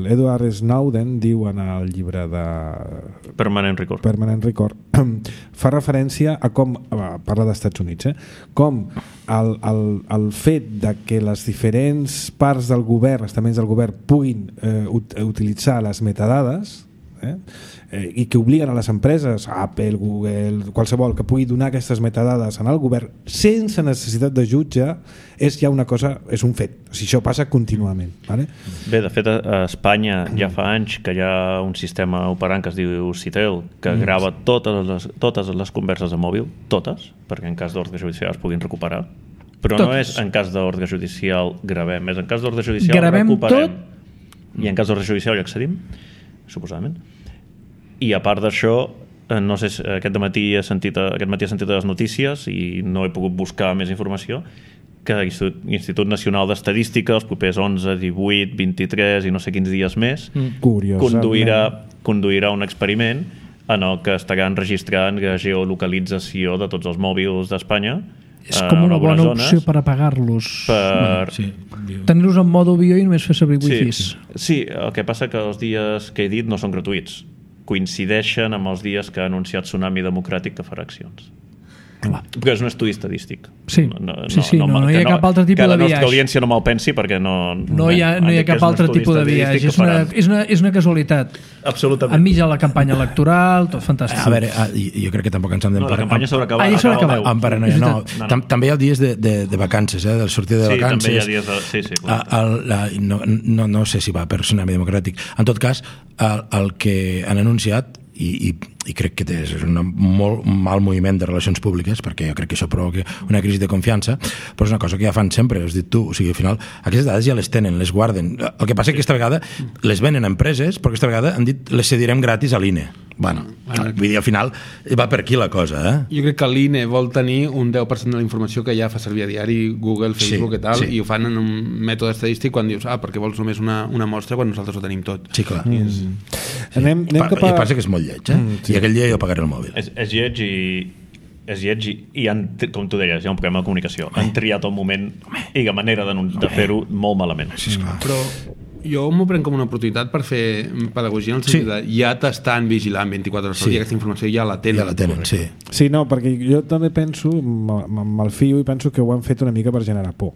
B: l'Edward Snowden diu en el llibre de
F: Permanent Record
B: fa referència a com, parla d'Estats Units, com el fet de que les diferents parts del govern, estaments del govern, puguin utilitzar les metadades, i que obliguen a les empreses, Apple, Google, qualsevol, que pugui donar aquestes metadades en el govern sense necessitat de jutge, és ja una cosa, és un fet. O sigui, això passa contínuament. Vale?
F: Bé, de fet, a Espanya ja fa anys que hi ha un sistema operant que es diu Citel, que grava totes les converses de mòbil, totes, perquè en cas d'ordre judicial es puguin recuperar. Però no és en cas d'ordre judicial gravem, és en cas d'ordre judicial recuperem. I en cas d'ordre judicial hi accedim, suposadament. I a part d'això, no sé, aquest matí he sentit a les notícies i no he pogut buscar més informació, que l'Institut Nacional d'Estadística els propers 11, 18, 23 i no sé quins dies més conduirà un experiment en el que estaran registrant la geolocalització de tots els mòbils d'Espanya.
C: És com una bona opció per apagar-los. Tenir-los en mode avió i només fer servir wifis.
F: Sí, el que passa que els dies que he dit no són gratuïts. Coincideixen amb els dies que ha anunciat Tsunami Democràtic que farà accions. Perquè és un estudi estadístic.
C: Sí, no hi ha cap altre tipus de viatge.
F: Que la nostra audiència no me'l pensi perquè
C: no hi ha cap altre tipus de viatge. És una casualitat.
F: Absolutament.
C: Enmig de la campanya electoral, tot fantàstic.
E: A veure, jo crec que tampoc ens hem d'emparar.
F: La campanya s'haurà acabat.
E: Amb paranoia, no. També hi ha dies de vacances, del sortir de vacances.
F: Sí, també hi ha dies de...
E: No sé si va per Tsunami Democràtic. En tot cas, el que han anunciat, i crec que és un molt mal moviment de relacions públiques, perquè jo crec que això provoca una crisi de confiança, però és una cosa que ja fan sempre, has dit tu, o sigui, al final aquestes dades ja les tenen, les guarden. El que passa és que aquesta vegada les venen a empreses, però aquesta vegada han dit les cedirem gratis a l'INE. Bueno, vull dir, al final va per aquí la cosa,
G: Jo crec que l'INE vol tenir un 10% de la informació que ja fa servir a diari, Google, Facebook i tal, i ho fan en un mètode estadístic quan dius, perquè vols només una mostra quan nosaltres ho tenim tot.
E: Sí, clar.
B: Anem cap a...
E: Passa que és molt lleig, i aquell dia jo pagaré el mòbil.
F: És lleig i com tu deies, hi ha un problema de comunicació. Han triat el moment i la manera de fer-ho molt malament.
G: Però jo m'ho prenc com una oportunitat per fer pedagogia en el sentit de ja t'estan vigilant 24 hores i aquesta informació ja la tenen.
B: Sí, no, perquè jo també penso, me'l fio i penso que ho han fet una mica per generar por.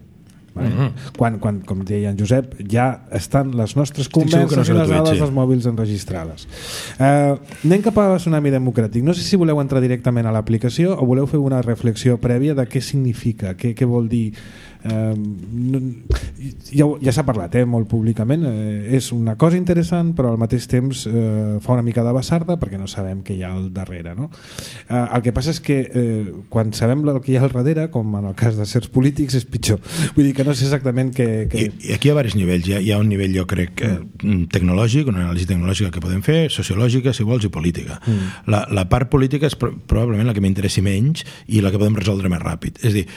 B: Quan, com deia en Josep, ja estan les nostres converses i les dades dels mòbils enregistrades. Anem cap a Tsunami Democràtic. No sé si voleu entrar directament a l'aplicació o voleu fer una reflexió prèvia de què significa, què vol dir. Ja s'ha parlat molt públicament, és una cosa interessant, però al mateix temps fa una mica de basarda perquè no sabem què hi ha al darrere, no? El que passa és que quan sabem el que hi ha al darrere, com en el cas de certs polítics, és pitjor. Vull dir que no sé exactament què...
E: I aquí hi ha diversos nivells. Hi ha un nivell, jo crec, tecnològic, una anàlisi tecnològica que podem fer, sociològica, si vols, i política. La part política és probablement la que m'interessi menys i la que podem resoldre més ràpid. És a dir,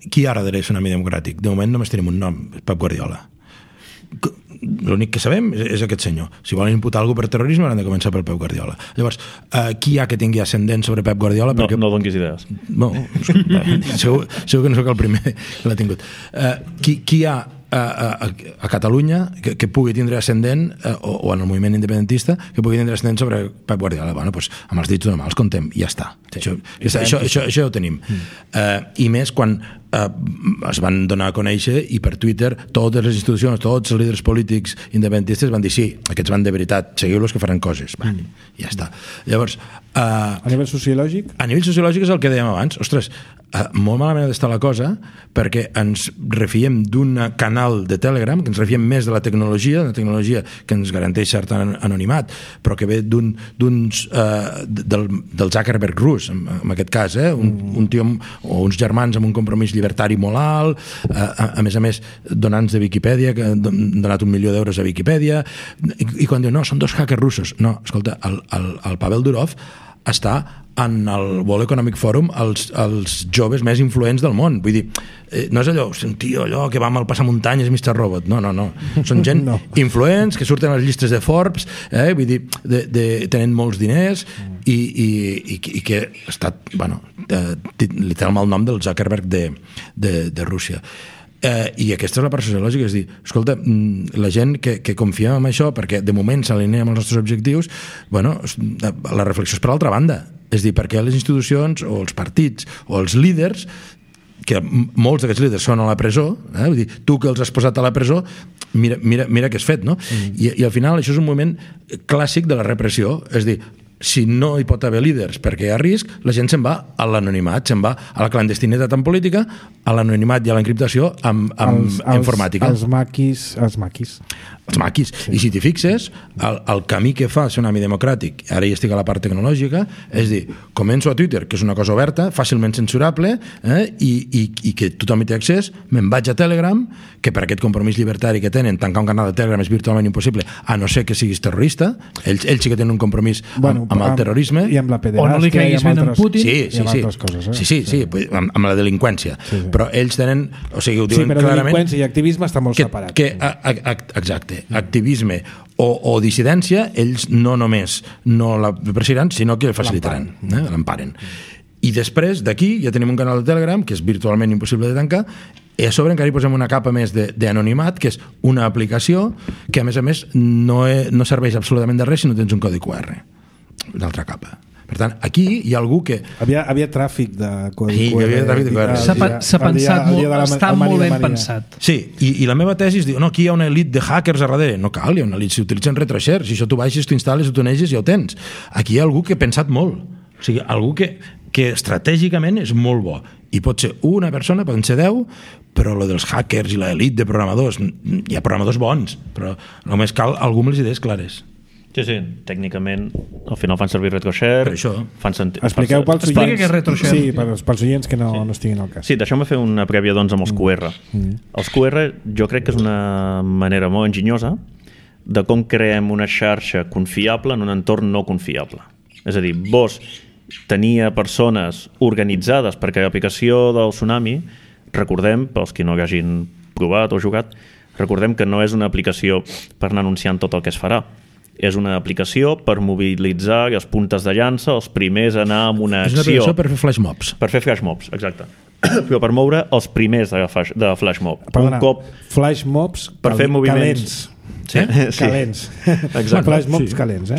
E: qui hi ha darrere Tsunami Democràtic? De moment només tenim un nom, Pep Guardiola. L'únic que sabem és aquest senyor. Si volen imputar algú per terrorisme han de començar pel Pep Guardiola. Llavors, qui hi ha que tingui ascendent sobre Pep Guardiola?
F: No donquis idees.
E: No, segur que no sóc el primer que l'ha tingut. Qui hi ha a Catalunya que pugui tindre ascendent o en el moviment independentista que pugui tindre ascendent sobre Pep Guardiola? Bueno, doncs amb els dits d'una mà els contem i ja està. Això ja ho tenim. I més quan es van donar a conèixer i per Twitter totes les institucions, tots els líders polítics independentistes van dir sí, aquests van de veritat, seguiu-los que faran coses. Ja està. Llavors,
B: a nivell sociològic?
E: A nivell sociològic és el que dèiem abans. Ostres, molt malament està la cosa perquè ens refiem d'un canal de Telegram, que ens refiem més de la tecnologia que ens garanteix cert anonimat, però que ve del Zuckerberg rus, en aquest cas, un tio o uns germans amb un compromís llibertari molt alt, a més, donants de Viquipèdia, que han donat 1 milió d'euros a Viquipèdia, i quan diu, no, són 2 hackers russos. No, escolta, el Pavel Durov està en el World Economic Forum els joves més influents del món. Vull dir, no és allò, tio, allò que va amb el passamuntanyes Mr. Robot. No. Són gent influents que surten a les llistes de Forbes, vull dir, tenen molts diners i que ha estat, li té el mal nom del Zuckerberg de Rússia. I aquesta és la part sociològica, és dir, escolta, la gent que confiem en això perquè de moment s'alinea amb els nostres objectius, la reflexió és per l'altra banda, és dir, perquè les institucions o els partits o els líders, que molts d'aquests líders són a la presó, vull dir, tu que els has posat a la presó, mira què has fet, no? I al final això és un moment clàssic de la repressió, és dir, si no hi pot haver líders perquè hi ha risc, la gent se'n va a l'anonimat, se'n va a la clandestinitat en política, a l'anonimat i a l'encriptació amb informàtica.
B: Els maquis.
E: Sí. I si t'hi fixes, el camí que fa Tsunami Democràtic, ara ja estic a la part tecnològica, és dir, començo a Twitter, que és una cosa oberta, fàcilment censurable, i que tothom hi té accés, me'n vaig a Telegram, que per aquest compromís llibertari que tenen, tancar un canal de Telegram és virtualment impossible, a no ser que siguis terrorista. Ells sí que tenen un compromís amb el terrorisme.
B: I amb la pederàstia, i amb altres,
E: Putin.
B: I amb altres coses.
E: Sí, amb la delinqüència. Sí. Però ells tenen, o sigui, ho diuen
B: però
E: clarament...
B: delinqüència i activisme està molt separat.
E: Exacte. Activisme o dissidència, ells no només no la perseguiran, sinó que facilitaran, l'emparen. I després d'aquí ja tenim un canal de Telegram que és virtualment impossible de tancar, i a sobre encara hi posem una capa més d'anonimat, que és una aplicació que a més no serveix absolutament de res si no tens un codi QR. L'altra capa. Per tant, aquí hi ha algú que...
B: Havia tràfic de codi QR.
E: Hi havia tràfic de QR.
C: S'ha pensat molt, està molt ben pensat.
E: Sí, i la meva tesi és dir, no, aquí hi ha una elit de hackers a darrere. No cal, hi ha una elit, s'utilitzen retroshares, si això tu baixes, tu instal·les, tu neges, ja ho tens. Aquí hi ha algú que ha pensat molt. O sigui, algú que estratègicament és molt bo. I pot ser una persona, poden ser 10, però lo dels hackers i l'elit de programadors, hi ha programadors bons, però només cal algú amb les idees clares.
F: Sí, tècnicament al final fan servir RetroShare.
E: Per això.
B: Expliqueu pels
C: oients. Explica què és RetroShare.
B: Sí, pels oients que no estiguin al cas.
F: Sí, deixeu-me fer una prèvia doncs amb els QR. Els QR jo crec que és una manera molt enginyosa de com creem una xarxa confiable en un entorn no confiable. És a dir, vos tenia persones organitzades perquè l'aplicació del Tsunami, recordem, pels que no hagin provat o jugat, recordem que no és una aplicació per anar anunciant tot el que es farà. És una aplicació per mobilitzar les puntes de llança, els primers a anar amb una acció.
E: És una aplicació per fer flash mobs.
F: Per fer flash mobs, exacte. Però per moure els primers de flash mob.
B: Perdona, flash mobs
F: per fer moviments
B: calents.
F: Exacte.
B: Flash mobs calents,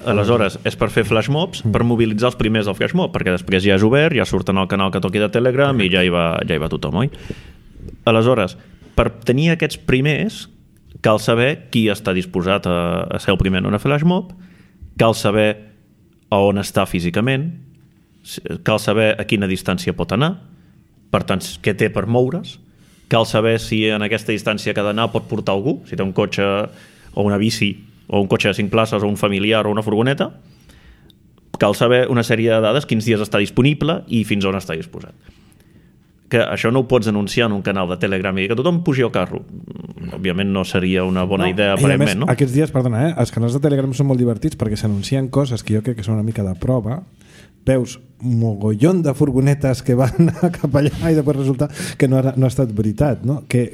F: Aleshores, és per fer flash mobs, per mobilitzar els primers del flash mob, perquè després ja és obert, ja surten al canal que toqui de Telegram i ja hi va tothom, oi? Aleshores, per tenir aquests primers cal saber qui està disposat a ser el primer en una flash mob, cal saber a on està físicament, cal saber a quina distància pot anar, per tant, què té per moure's, cal saber si en aquesta distància que ha d'anar pot portar algú, si té un cotxe o una bici, o un cotxe de 5 places, o un familiar, o una furgoneta, cal saber una sèrie de dades, quins dies està disponible i fins on està disposat. Que això no ho pots anunciar en un canal de Telegram i que tothom pugi al carro. Òbviament no seria una bona idea, aparentment, no?
B: Aquests dies, perdona, els canals de Telegram són molt divertits perquè s'anuncien coses que jo crec que són una mica de prova. Veus mogollon de furgonetes que van cap allà i després resulta que no ha estat veritat, no? Que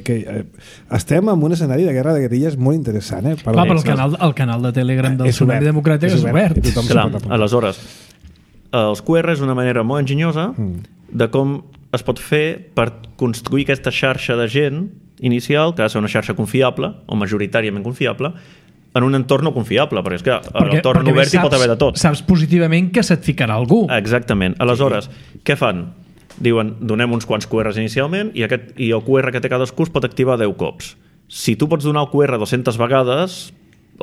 B: estem en un escenari de guerra de guerrilles molt interessant, eh?
C: Clar, però el canal de Telegram del Tsunami Democràtic és obert.
F: Clar, aleshores, els QR és una manera molt enginyosa de com es pot fer per construir aquesta xarxa de gent inicial, que ha de ser una xarxa confiable, o majoritàriament confiable, en un entorn no confiable, perquè és que l'entorn obert hi pot haver de tot.
C: Saps positivament que se't ficarà algú.
F: Exactament. Aleshores, què fan? Diuen, donem uns quants QRs inicialment i el QR que té cadascú es pot activar 10 cops. Si tu pots donar el QR 200 vegades,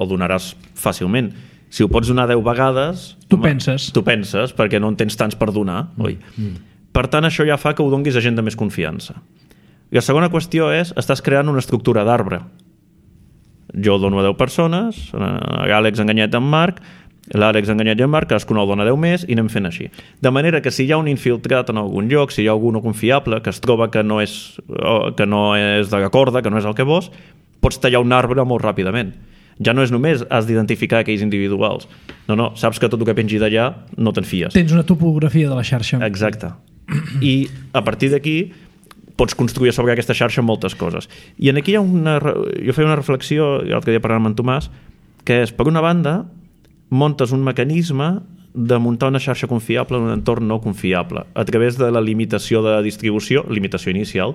F: el donaràs fàcilment. Si ho pots donar 10 vegades...
C: Tu penses,
F: perquè no en tens tants per donar, oi? Per tant, això ja fa que ho donguis a gent de més confiança. I la segona qüestió és, estàs creant una estructura d'arbre. Jo dono a 10 persones, a l'Àlex enganyet amb Marc, l'Àlex ha enganyat i en Marc, cadascun el dona 10 més i anem fent així. De manera que si hi ha un infiltrat en algun lloc, si hi ha algú no confiable que es troba que no és de la corda, que no és el que vols, pots tallar un arbre molt ràpidament. Ja no és només has d'identificar aquells individuals. No, saps que tot el que pengi d'allà no te'n fies.
C: Tens una topografia de la xarxa.
F: Exacte. I a partir d'aquí pots construir sobre aquesta xarxa moltes coses. I aquí hi ha jo feia una reflexió l'altre dia parlant amb en Tomàs, que és, per una banda, montes un mecanisme de muntar una xarxa confiable en un entorn no confiable, a través de la limitació de limitació inicial,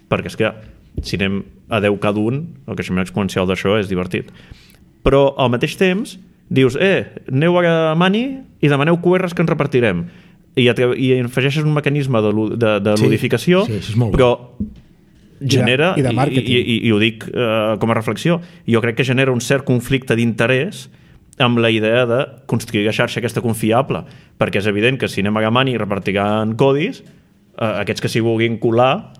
F: perquè és que si anem a 10 cada un, el creixement exponencial d'això és divertit. Però al mateix temps dius, aneu a Mani i demaneu QRs que ens repartirem. I afegeixes un mecanisme de ludificació, però genera, i ho dic com a reflexió, jo crec que genera un cert conflicte d'interès amb la idea de construir la xarxa aquesta confiable, perquè és evident que si anem a Mani i repartiran codis, aquests que s'hi vulguin colar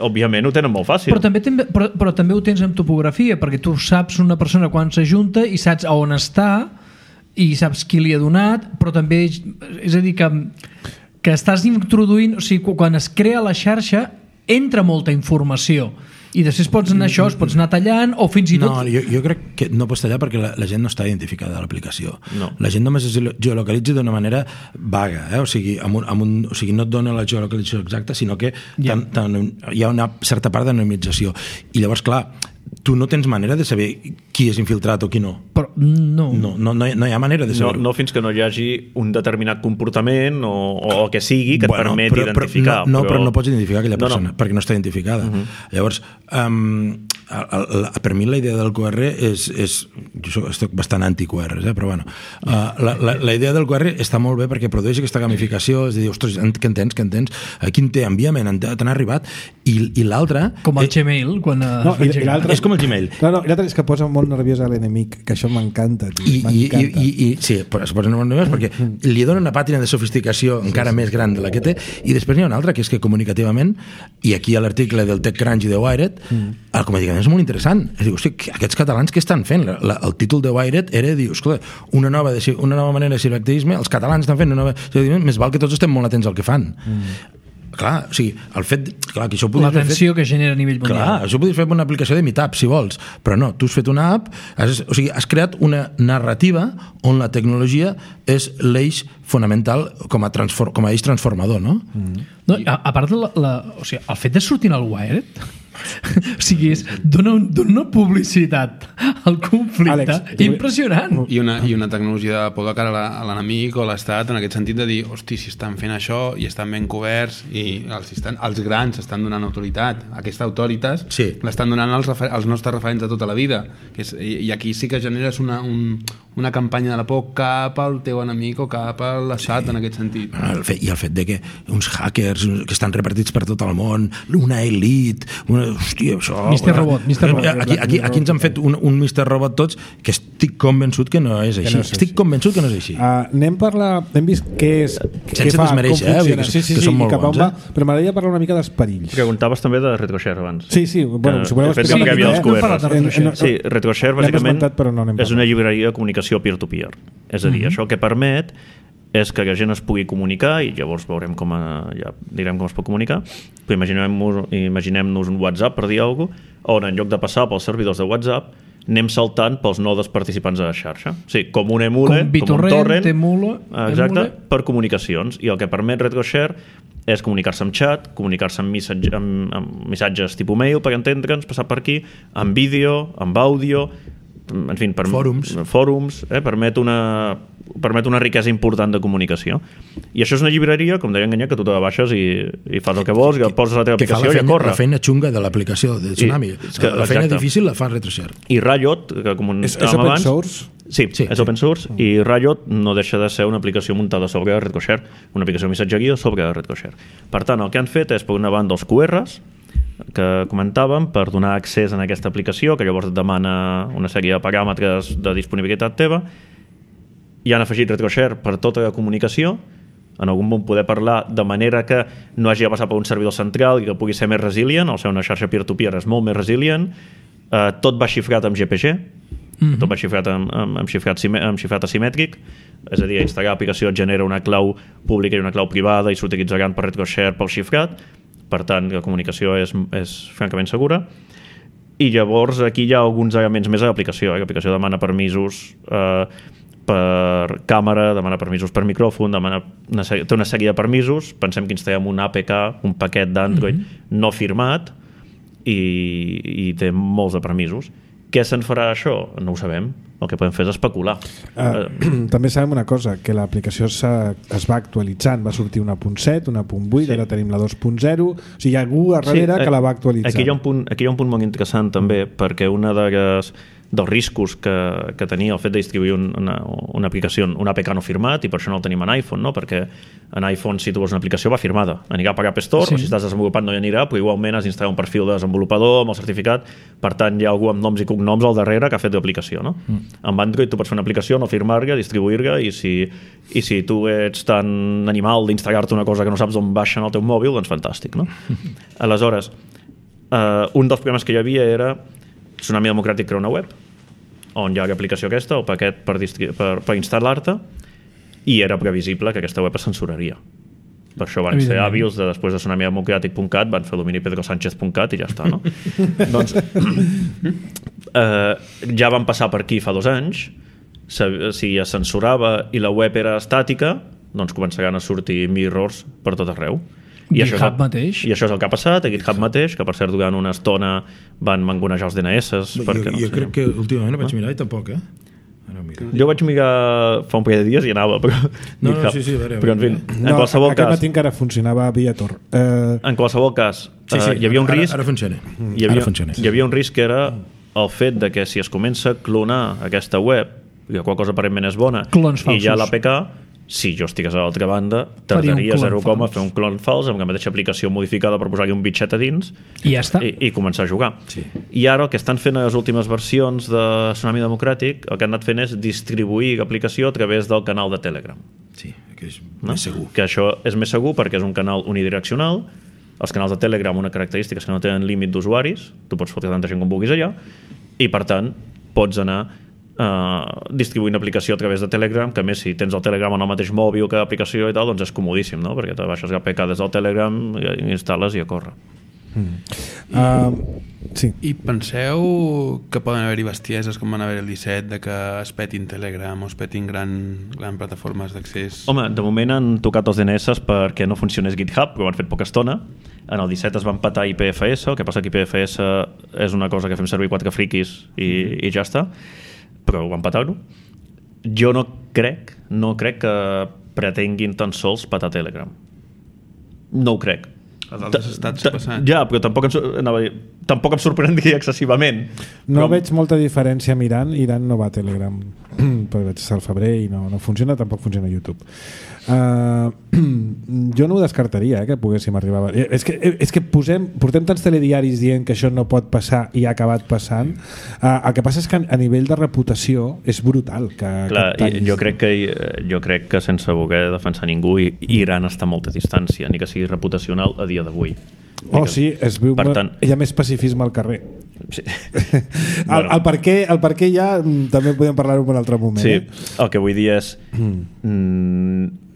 F: òbviament ho tenen molt fàcil.
C: Però també ho tens amb topografia, perquè tu saps una persona quan s'ajunta i saps on està i saps qui li ha donat, però també és a dir que estàs introduint, o sigui, quan es crea la xarxa entra molta informació i després pots anar pots anar tallant o fins i tot...
E: No, jo crec que no pots tallar perquè la gent no està identificada a l'aplicació. No. La gent només es geolocalitza d'una manera vaga, o sigui, o sigui, no et dona la geolocalització exacta, sinó que hi ha una certa part d'anonimització. I llavors, clar, tu no tens manera de saber qui és infiltrat o qui no.
C: Però no
E: hi ha manera de saber-ho.
F: No fins que no hi hagi un determinat comportament o que sigui que et permet identificar.
E: Però no pots identificar aquella persona perquè no està identificada. Llavors, per mi la idea del QR jo estic bastant anti-QR, però bueno, la idea del QR està molt bé perquè produeix aquesta gamificació, és a dir, ostres, què entens? Quin té? Enviament, t'han arribat? I l'altre...
C: Com el Gmail, quan...
E: És com el Gmail.
B: No, l'altre és que posa molt nerviós a l'enemic, que això m'encanta.
E: Sí, es posa molt nerviós perquè li dona una pàtina de sofisticació encara més gran de la que té, i després n'hi ha una altra, que és que comunicativament, i aquí a l'article del TechCrunch i de Wired, el comunicament és molt interessant. És dir, hosti, aquests catalans què estan fent? El títol de Wired era dir, escolta, una nova manera de ciberactivisme, els catalans estan fent una nova... Més val que tots estem molt atents al que fan. Clar, o sigui, el fet... Clar, que això
C: l'atenció que genera a nivell mundial.
E: Clar, això ho podries fer una aplicació de Meetup, si vols, però no, tu has fet una app, o sigui, has creat una narrativa on la tecnologia és l'eix fonamental com a eix transformador, no?
C: No, a part o sigui, el fet de sortir al Wired o sigui, dona una publicitat al conflicte impressionant.
G: I una tecnologia de por de cara a l'enemic o a l'estat, en aquest sentit de dir, hosti, si estan fent això i estan ben coberts i els grans estan donant autoritat, aquesta autoritat l'estan donant els nostres referents de tota la vida, i aquí sí que generes una campanya de la por cap al teu enemic o cap a l'estat, en aquest sentit.
E: I el fet de que uns hackers que estan repartits per tot el món, una elit, hòstia, això...
C: Mr. Robot.
E: Aquí ens han fet un Mr. Robot tots, que estic convençut que no és així. Estic convençut que no és així.
B: Hem vist què és...
E: Sense desmereixer, que són molt bons.
B: Però m'agradaria parlar una mica dels perills.
F: Preguntaves també de RetroShare abans.
B: Sí, bueno, si voleu
F: explicar... Sí, RetroShare bàsicament és una llibreria de comunicació peer-to-peer. És a dir, això que permet és que la gent es pugui comunicar i llavors veurem ja direm com es pot comunicar, però imaginem-nos un WhatsApp, per dir alguna cosa, on en lloc de passar pels servidors de WhatsApp anem saltant pels nodes participants de la xarxa. Sí, com un emule, com un torrent, exacte, per comunicacions. I el que permet RetroShare és comunicar-se amb xat, comunicar-se amb missatges tipus mail, per entendre'ns, passar per aquí, amb vídeo, amb àudio, en fi, fòrums, permet una riquesa important de comunicació. I això és una llibreria, com deia Enganyat, que tu te la baixes i fas el que vols, que poses la teva aplicació i a córrer.
E: La feina xunga de l'aplicació de Tsunami. La feina difícil la fa RetroShare.
F: I Riot, que comentàvem abans...
B: És open source?
F: Sí, és open source, i Riot no deixa de ser una aplicació muntada sobre RetroShare, una aplicació de missatgeria sobre RetroShare. Per tant, el que han fet és, per una banda, els QRs, que comentàvem, per donar accés a aquesta aplicació, que llavors et demana una sèrie de paràmetres de disponibilitat teva, i han afegit RetroShare per tota la comunicació, en algun punt poder parlar de manera que no hagi de passar per un servidor central i que pugui ser més resilient, o sigui, una xarxa peer-to-peer és molt més resilient, tot va xifrat amb GPG, Tot va xifrat amb xifrat asimètric, és a dir, instal·lar l'aplicació et genera una clau pública i una clau privada i s'utilitzaran per retroshare pel xifrat, per tant la comunicació és francament segura. I llavors aquí hi ha alguns elements més a l'aplicació. L'aplicació demana permisos per càmera, demana permisos per micròfon, té una sèrie de permisos. Pensem que instal·lem un APK, un paquet d'Android no firmat, i té molts de permisos. Què se'n farà això? No ho sabem. El que podem fer és especular.
B: També sabem una cosa, que l'aplicació es va actualitzant. Va sortir una 1.7, una 1.8, ara tenim la 2.0. O sigui, hi ha algú darrere que la va actualitzar.
F: Aquí hi ha un punt molt interessant també, perquè una dels riscos que tenia el fet de distribuir una aplicació, un APK no firmat, i per això no el tenim en iPhone, no? Perquè en iPhone, si tu vols una aplicació, va firmada. Anirà per App Store, o si estàs desenvolupant no hi anirà, però igualment has d'instal·lar un perfil de desenvolupador amb el certificat, per tant hi ha algú amb noms i cognoms al darrere que ha fet l'aplicació, no? Amb Android tu pots fer una aplicació, no firmar-la, distribuir-la, i si tu ets tan animal d'instal·lar-te una cosa que no saps on baixa en el teu mòbil, doncs fantàstic, no? Aleshores, un dels problemes que hi havia era Tsunami Democràtic crea una web on hi ha l'aplicació aquesta, el paquet per instal·lar-te, i era previsible que aquesta web es censuraria. Per això van ser hàbils de, després de tsunamidemocratic.cat, van fer domini pedrosanchez.cat i ja està, no? Doncs ja van passar per aquí fa 2 anys. Si es censurava i la web era estàtica, doncs començaran a sortir mirrors per tot arreu. I
C: GitHub mateix.
F: I això és el que ha passat a GitHub mateix, que per cert durant una estona van mangonejar els DNS.
E: Jo crec que últimament no vaig mirar i tampoc,
F: Jo vaig mirar fa un parell de dies i anava, però en fi, en qualsevol cas...
B: Aquest matí encara funcionava via Tor.
F: En qualsevol cas, hi havia un risc...
E: Ara funciona.
F: Hi havia un risc que era el fet de que si es comença a clonar aquesta web, i qual cosa aparentment és bona, i ja l'APK, si jo estigués a l'altra banda, tardaria 0, a fer un clon fals amb la mateixa aplicació modificada per posar-hi un bitxet a dins
C: i ja està.
F: I començar a jugar. I ara el que estan fent a les últimes versions de Tsunami Democràtic, el que han anat fent és distribuir l'aplicació a través del canal de Telegram.
E: Sí, que és més segur.
F: Que això és més segur perquè és un canal unidireccional. Els canals de Telegram, una característica és que no tenen límit d'usuaris, tu pots fotre tanta gent com vulguis allà, i per tant pots anar distribuint aplicació a través de Telegram, que a més si tens el Telegram en el mateix mòbil que l'aplicació i tal, doncs és comodíssim, no? Perquè te baixes l'APK des del Telegram i instal·les i a córrer.
B: Sí.
G: I penseu que poden haver-hi bestieses com van haver el 17 de que es petin Telegram o es petin gran plataformes d'accés?
F: Home, de moment han tocat els DNS perquè no funcionés GitHub, però ho han fet poca estona. En el 17 es van petar IPFS, el que passa que IPFS és una cosa que fem servir 4 friquis i ja està, però van petar-ho. Jo no crec que pretenguin tan sols petar Telegram. No ho crec.
G: Els altres estats passant.
F: Ja, però tampoc em sorprendria excessivament.
B: No veig molta diferència mirant. Iran no va a Telegram, però vaig estar al febrer i no funciona, tampoc funciona a YouTube. Jo no ho descartaria, que poguéssim arribar a... És que portem tants telediaris dient que això no pot passar i ha acabat passant. El que passa és que a nivell de reputació és brutal.
F: Clar, jo crec que sense voler defensar ningú, Iran està a molta distància, ni que sigui reputacional a dia d'avui.
B: Sí, es viu hi ha més pacifisme al carrer.
F: Sí.
B: El per què ja també podem parlar-ho en un altre moment.
F: Sí, el que vull dir és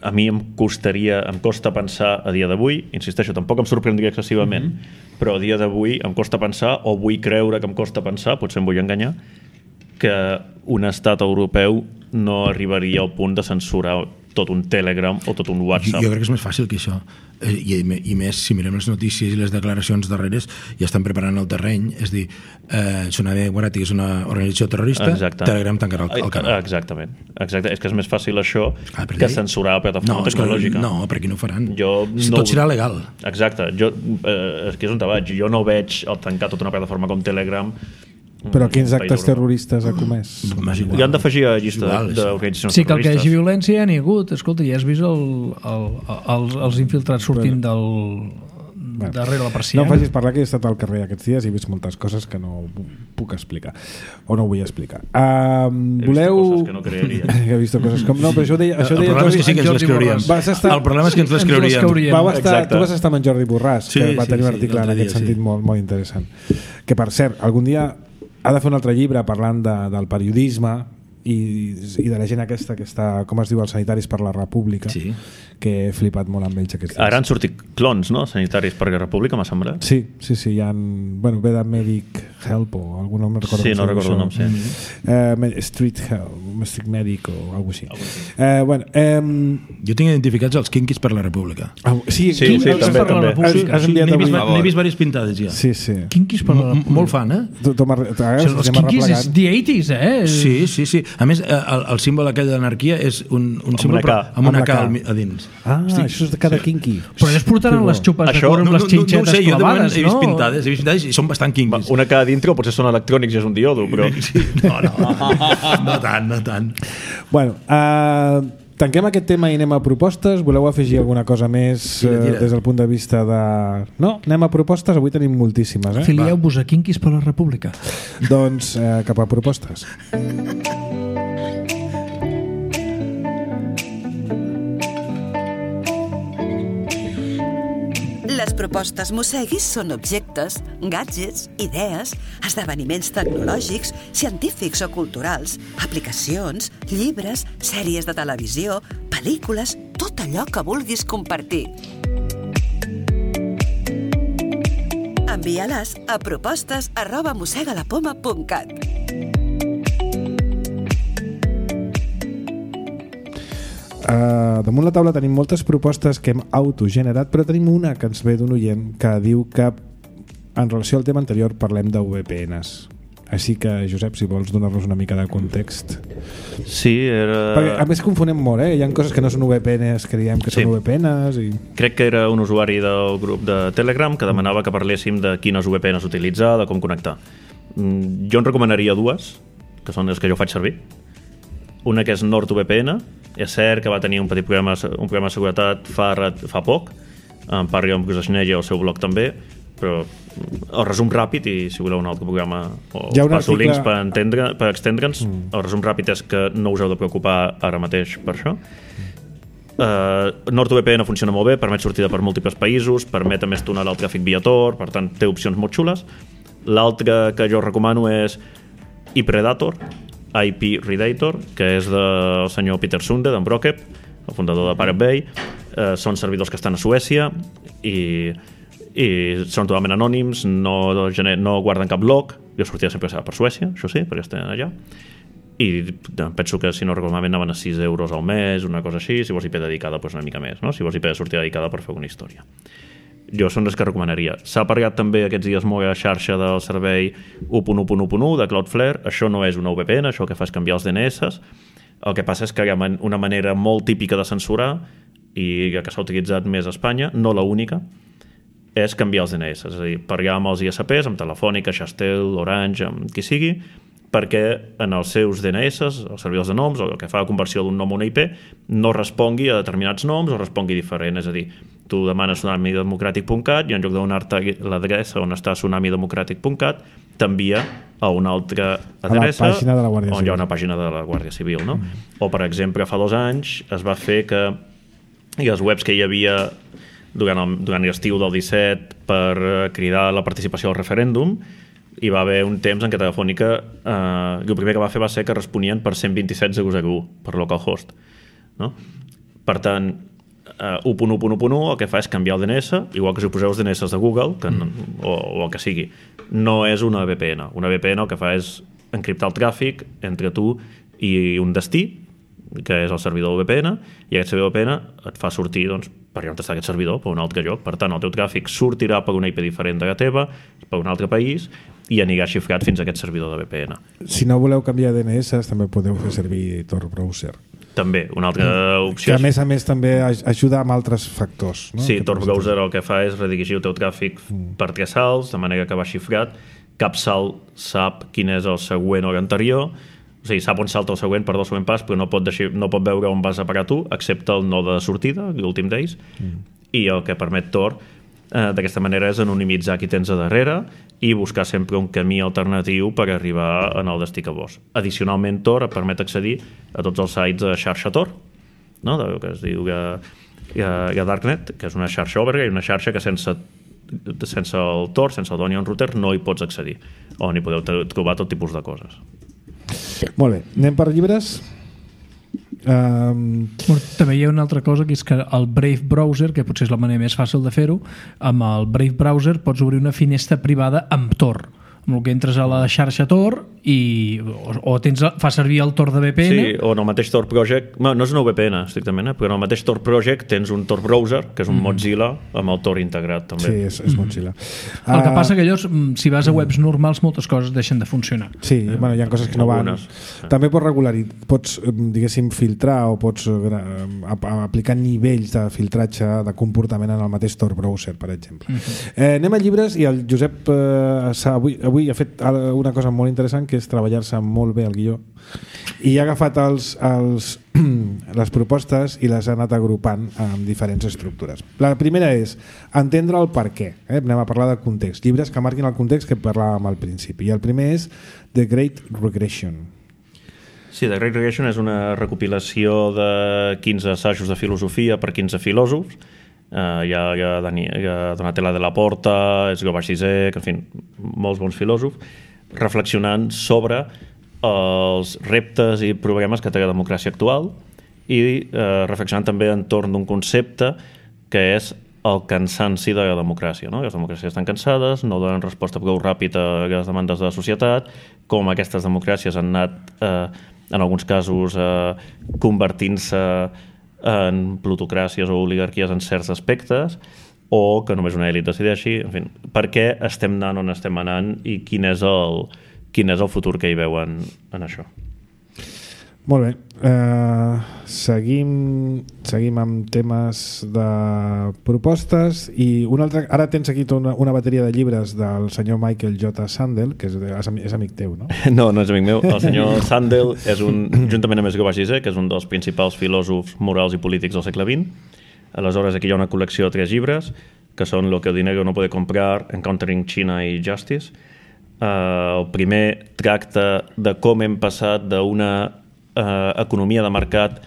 F: a mi em costa pensar a dia d'avui, insisteixo, tampoc em sorprendria excessivament, però a dia d'avui em costa pensar, o vull creure que em costa pensar, potser em vull enganyar, que un estat europeu no arribaria al punt de censurar tot un Telegram o tot un WhatsApp.
E: Jo crec que és més fàcil que això. I més, si mirem les notícies i les declaracions darreres, ja estan preparant el terreny. És dir, Tsunami Democràtic és una organització terrorista.
F: Exacte.
E: Telegram tancarà el canal.
F: Exactament. És que és més fàcil això que censurar la plataforma tecnològica.
E: No, perquè no ho faran.
F: Tot
E: serà legal.
F: Exacte. És que és on te vaig. Jo no veig el tancar tota una plataforma com Telegram.
B: Però quins actes terroristes ha comès?
F: I han d'afegir a la llista d'organitzacions terroristes.
C: Sí, que el que hi hagi violència ja n'hi ha hagut. Escolta, ja has vist els infiltrats sortint darrere la persiana.
B: No em facis parlar, que he estat al carrer aquests dies i he vist moltes coses que no puc explicar o no vull explicar.
F: Voleu... He vist coses que no creeria.
B: He vist coses com... No, però això deia
E: el problema és que sí que ens les creuríem. El problema és que ens les creuríem.
B: Tu vas estar amb en Jordi Borràs, que va tenir un article en aquest sentit molt interessant. Que, per cert, algun dia ha de fer un altre llibre parlant del periodisme i de la gent aquesta que està, com es diu, els Sanitaris per la República,
E: Sí.
B: que he flipat molt amb ells aquests dies.
F: Ara han sortit clons, no? Sanitaris per la República, m'ha semblat.
B: Sí, hi ha... Bueno, ve de Medic Help o algun nom, no recordo.
F: Sí, no recordo el nom, sí.
B: Street Help, Street Medic o alguna cosa així.
E: Jo tinc identificats els Kinkis per la República.
F: Sí, també.
B: Has enviat avui.
E: N'he vist diverses pintades ja.
B: Sí.
C: Quinquis per la...
E: Molt fan, eh?
C: Els quinquis és the 80s, eh?
E: Sí. A més, el símbol aquell d'anarquia és un símbol amb una K a dins.
B: Això és de cada kinky.
C: Però ells portaran les xupes de cura amb les xinxetes
E: clavades, no?
C: clavades,
E: he vist pintades i són bastant kinkis.
F: Una K dintre potser són electrònics i és un diodo, però...
E: Sí, no tant.
B: Bueno, tanquem aquest tema i anem a propostes. Voleu afegir alguna cosa més des del punt de vista de... No? Anem a propostes? Avui tenim moltíssimes, eh?
C: Filieu-vos a Quinquis per la República.
B: Doncs cap a propostes.
D: Les propostes Mosseguis són objectes, gadgets, idees, esdeveniments tecnològics, científics o culturals, aplicacions, llibres, sèries de televisió, pel·lícules, tot allò que vulguis compartir. Envia-les a propostes@mossegalapoma.cat.
B: Damunt la taula tenim moltes propostes que hem autogenerat, però tenim una que ens ve d'un oient que diu que en relació al tema anterior parlem de VPNs. Així que, Josep, si vols donar-nos una mica de context.
F: Sí, era...
B: Perquè a més confonem molt, Hi ha coses que no són VPNs, creiem que són VPNs i...
F: Crec que era un usuari del grup de Telegram que demanava que parléssim de quines VPNs utilitzar, de com connectar. Jo en recomanaria dues, que són les que jo faig servir. Una que és NordVPN. És cert que va tenir un petit problema de seguretat fa poc. En parli amb Bruce Schneier al seu blog també, però el resum ràpid, i si voleu un altre programa o us passo links per extendre'ns, el resum ràpid és que no us heu de preocupar ara mateix per això. NordVPN funciona molt bé, permet sortida per múltiples països, permet a més tunelar el tràfic via Tor, per tant té opcions molt xules. L'altra que jo recomano és iPredator, IP Redator, que és del senyor Peter Sunde, d'en Brockep, el fundador de Pirate Bay. Són servidors que estan a Suècia i són totalment anònims, no guarden cap log. Jo sortia sempre per Suècia, això sí, perquè estan allà. I penso que, si no recordo malament, anaven a 6 euros al mes, una cosa així. Si vols IP dedicada, doncs una mica més, no? Si vols IP de sortida dedicada per fer una història. Jo són les que recomanaria. S'ha parlat també aquests dies molt a la xarxa del servei 1.1.1 de Cloudflare. Això no és una VPN, això el que fa és canviar els DNS. El que passa és que hi ha una manera molt típica de censurar i que s'ha utilitzat més a Espanya, no la única, és canviar els DNS. És a dir, parlar amb els ISPs, amb Telefònica, Xastel, Orange, amb qui sigui, perquè en els seus DNS, els servidors de noms, o el que fa la conversió d'un nom a una IP, no respongui a determinats noms o respongui diferent. És a dir, tu demanes tsunamidemocratic.cat i en lloc de donar-te l'adreça on està tsunamidemocratic.cat t'envia a una altra adreça
B: on
F: hi ha una pàgina de la Guàrdia Civil, no? O, per exemple, fa 2 anys es va fer que les webs que hi havia durant l'estiu del 17 per cridar la participació al referèndum, hi va haver un temps en què Telefònica el primer que va fer va ser que responien per 127.001 per localhost, no? Per tant, 1.1.1 el que fa és canviar el DNS, igual que si poseu els DNS de Google o el que sigui. No és una VPN. Una VPN el que fa és encriptar el tràfic entre tu i un destí, que és el servidor VPN, i aquest servidor VPN et fa sortir, doncs, per on està aquest servidor, per un altre lloc. Per tant, el teu tràfic sortirà per una IP diferent de la teva, per un altre país, i anirà xifrat fins a aquest servidor de VPN.
B: Si no voleu canviar DNS, també podeu fer servir Tor Browser.
F: També, una altra opció.
B: Que a més també ajuda amb altres factors, no?
F: Sí, Tor Browser el que fa és redirigir el teu tràfic per 3 salts, de manera que va xifrat. Cap salt sap quin és el següent o l'anterior, o sigui, sap on salta el següent per 2 següent pas, però no pot veure on vas a parar tu, excepte el node de sortida, l'últim d'ells, i el que permet Tor d'aquesta manera és anonimitzar qui tens a darrere i buscar sempre un camí alternatiu per arribar en el destí que vols. Addicionalment, Tor et permet accedir a tots els sites de xarxa Tor, no? Que es diu que hi ha Darknet, que és una xarxa oberta i una xarxa que sense sense el Tor, sense el Onion Router, no hi pots accedir, on hi podeu trobar tot tipus de coses.
B: Molt bé, anem per llibres.
C: També hi ha una altra cosa, que és que el Brave Browser, que potser és la manera més fàcil de fer-ho, amb el Brave Browser pots obrir una finestra privada amb Tor, amb el que entres a la xarxa Tor o fa servir el Tor de VPN.
F: Sí, o en el mateix Tor Project, no és una VPN estrictament, però en el mateix Tor Project tens un Tor Browser, que és un Mozilla amb el Tor integrat també.
B: Sí, és Mozilla.
C: El que passa que allò, si vas a webs normals, moltes coses deixen de funcionar.
B: Sí, bueno, hi ha coses que no van. També pots diguéssim, filtrar o pots aplicar nivells de filtratge de comportament en el mateix Tor Browser, per exemple. Anem a llibres, i el Josep avui ha fet una cosa molt interessant, que és treballar-se molt bé el guió, i ha agafat les propostes i les ha anat agrupant amb diferents estructures. La primera és entendre el per què. Anem a parlar de context, llibres que marquin el context que parlàvem al principi, i el primer és The Great Regression.
F: Sí, The Great Regression és una recopilació de 15 assajos de filosofia per 15 filòsofs. Hi ha Donatella de la Porta, Escobar Zizek, en fi, molts bons filòsofs, reflexionant sobre els reptes i problemes que té la democràcia actual i reflexionant també entorn d'un concepte que és el cansanci de la democràcia, no? Les democràcies estan cansades, no donen resposta prou ràpida a les demandes de la societat, com aquestes democràcies han anat, en alguns casos, convertint-se en plutocràcies o oligarquies en certs aspectes, o que només una elit decideixi. En fi, per què estem anant on estem anant i quin és el futur que hi veuen en això.
B: Molt bé, seguim amb temes de propostes, i ara tens aquí una bateria de llibres del senyor Michael J. Sandel, que és amic teu, no?
F: No és amic meu. El senyor Sandel és juntament amb Escobar Zizek, que és un dels principals filòsofs morals i polítics del segle XX. Aleshores, aquí hi ha una col·lecció de 3 llibres, que són Lo que el dinero no puede comprar, Encountering China i Justice. El primer tracta de com hem passat d'una economia de mercat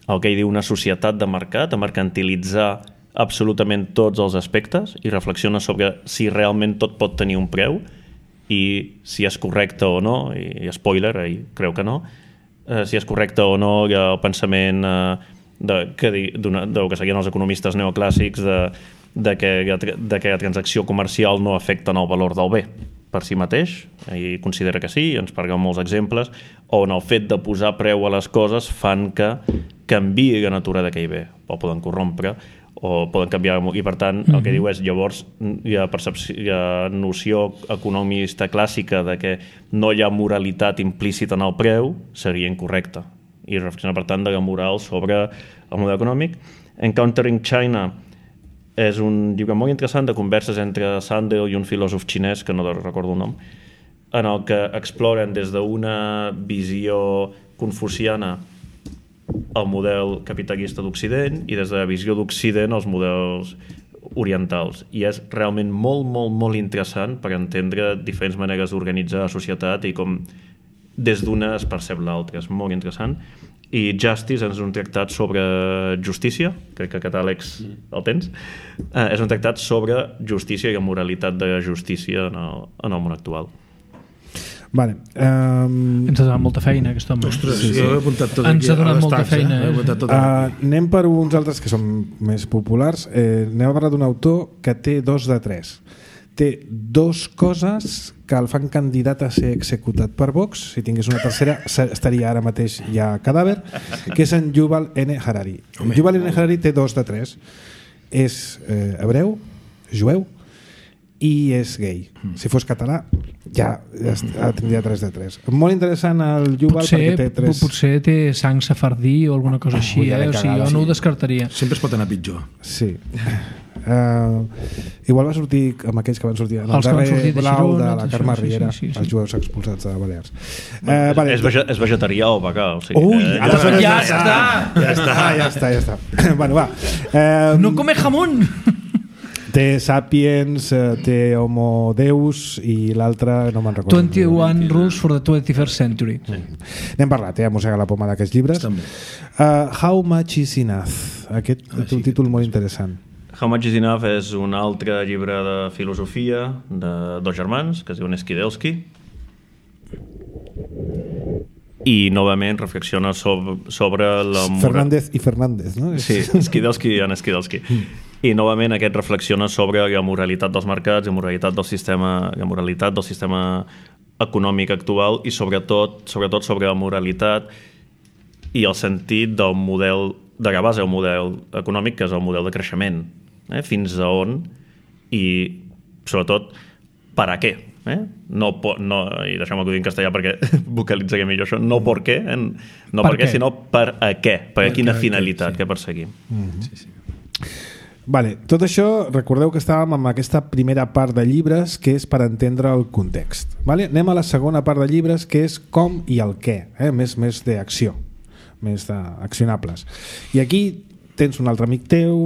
F: al que ell diu una societat de mercat, a mercantilitzar absolutament tots els aspectes, i reflexiona sobre si realment tot pot tenir un preu i si és correcte o no, i spoiler, ell creu que no, si és correcte o no el pensament del que seguien els economistes neoclàssics de que la transacció comercial no afecta en el valor del bé per si mateix, i considera que sí, ens parla molts exemples, on el fet de posar preu a les coses fan que canviï la natura d'aquell bé, o poden corrompre, o poden canviar, i per tant el que diu és, llavors hi ha noció economista clàssica de que no hi ha moralitat implícita en el preu, seria incorrecta, i reflexiona per tant de la moral sobre el model econòmic. Encountering China és un llibre molt interessant de converses entre Sandel i un filòsof xinès, que no recordo el nom, en el que exploren des d'una visió confuciana el model capitalista d'Occident i des de la visió d'Occident els models orientals. I és realment molt, molt, molt interessant per entendre diferents maneres d'organitzar la societat i com des d'una es percep l'altra. És molt interessant. I Justice és un tractat sobre justícia, crec que aquest Àlex el tens, és un tractat sobre justícia i la moralitat de la justícia en el món actual.
B: Vale.
C: Ens ha donat molta feina aquest home.
E: Ostres, jo he apuntat tot aquí.
C: Ens ha donat molta feina.
B: Anem per uns altres que són més populars. Anem a parlar d'un autor que té 2 de 3. Té 2 coses que el fan candidat a ser executat per Vox. Si tingués una tercera estaria ara mateix ja cadàver, que és en Yuval N. Harari. Yuval N. Harari té 2 de 3. És hebreu, jueu i és gay. Si fos català ja tindria 3 de 3. Molt interessant el Yuval, perquè té 3...
C: Potser té sang safardí o alguna cosa així, o sigui, jo no ho descartaria.
E: Sempre es pot anar pitjor.
B: Sí. Igual va sortir amb aquells que van sortir en el darrer blau de la Carme Riera, els jueus expulsats de Balears.
F: És vegetarià o vegà, o sigui,
C: ja està.
B: Bueno, va.
C: No come jamón.
B: Té Sapiens, té Homo Deus i l'altre no me'n recordo.
C: 21 Rules for the 21st Century.
B: N'hem parlat, mossega la poma d'aquests llibres. How Much is Enough? Aquest té un títol molt interessant.
F: How Much is Enough és un altre llibre de filosofia de dos germans que es diuen Skidelsky, i novament reflexiona sobre la
B: Fernández i Fernández, no?
F: Sí, Skidelsky i Skidelsky. I novament aquest reflexiona sobre la moralitat dels mercats, la moralitat del sistema econòmic actual i sobretot sobre la moralitat i el sentit del model, de la base del model econòmic, que és el model de creixement, fins a on i sobretot per a què. No, i deixeu-me que ho digui en castellà perquè vocalitzaré millor això, no per què, no per què, sinó per a què, per a quina finalitat que perseguim.
B: Sí. Vale, tot això, recordeu que estàvem amb aquesta primera part de llibres que és per entendre el context. Vale? Anem a la segona part de llibres que és com i el què, més d'acció, més d'accionables. I aquí tens un altre amic teu,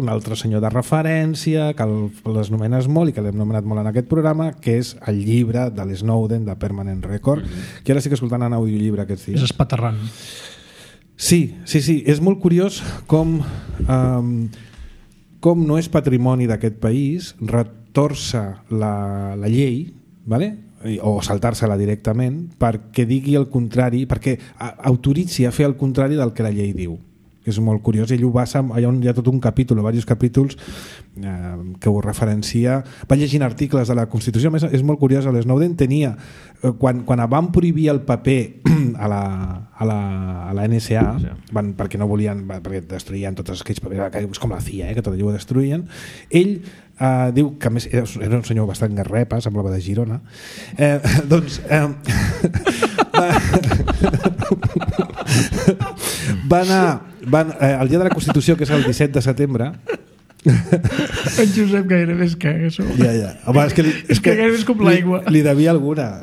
B: un altre senyor de referència, que les nomenes molt i que l'hem nomenat molt en aquest programa, que és el llibre de l'Snowden, de Permanent Record, que ara estic escoltant en audiollibre aquests dies.
C: És espaterrant.
B: Sí, és molt curiós com no és patrimoni d'aquest país retorça la llei, vale? O saltar-se-la directament perquè digui el contrari, perquè autoritzi a fer el contrari del que la llei diu, que és molt curiós. Ell ho basa, hi ha tot un capítol o diversos capítols que ho referencia. Va llegint articles de la Constitució. A més, és molt curiós, l'Snowden tenia, quan van prohibir el paper a la NSA, perquè no volien, perquè destruïen tots aquells papers, com la CIA, que tot allò ho destruïen, ell diu que a més era un senyor bastant garrepa, semblava de Girona, va anar el dia de la Constitució, que és el 17 de setembre.
C: En Josep gairebé es caga.
B: Ja. Home, és que
C: gairebé és com l'aigua.
B: Li devia alguna.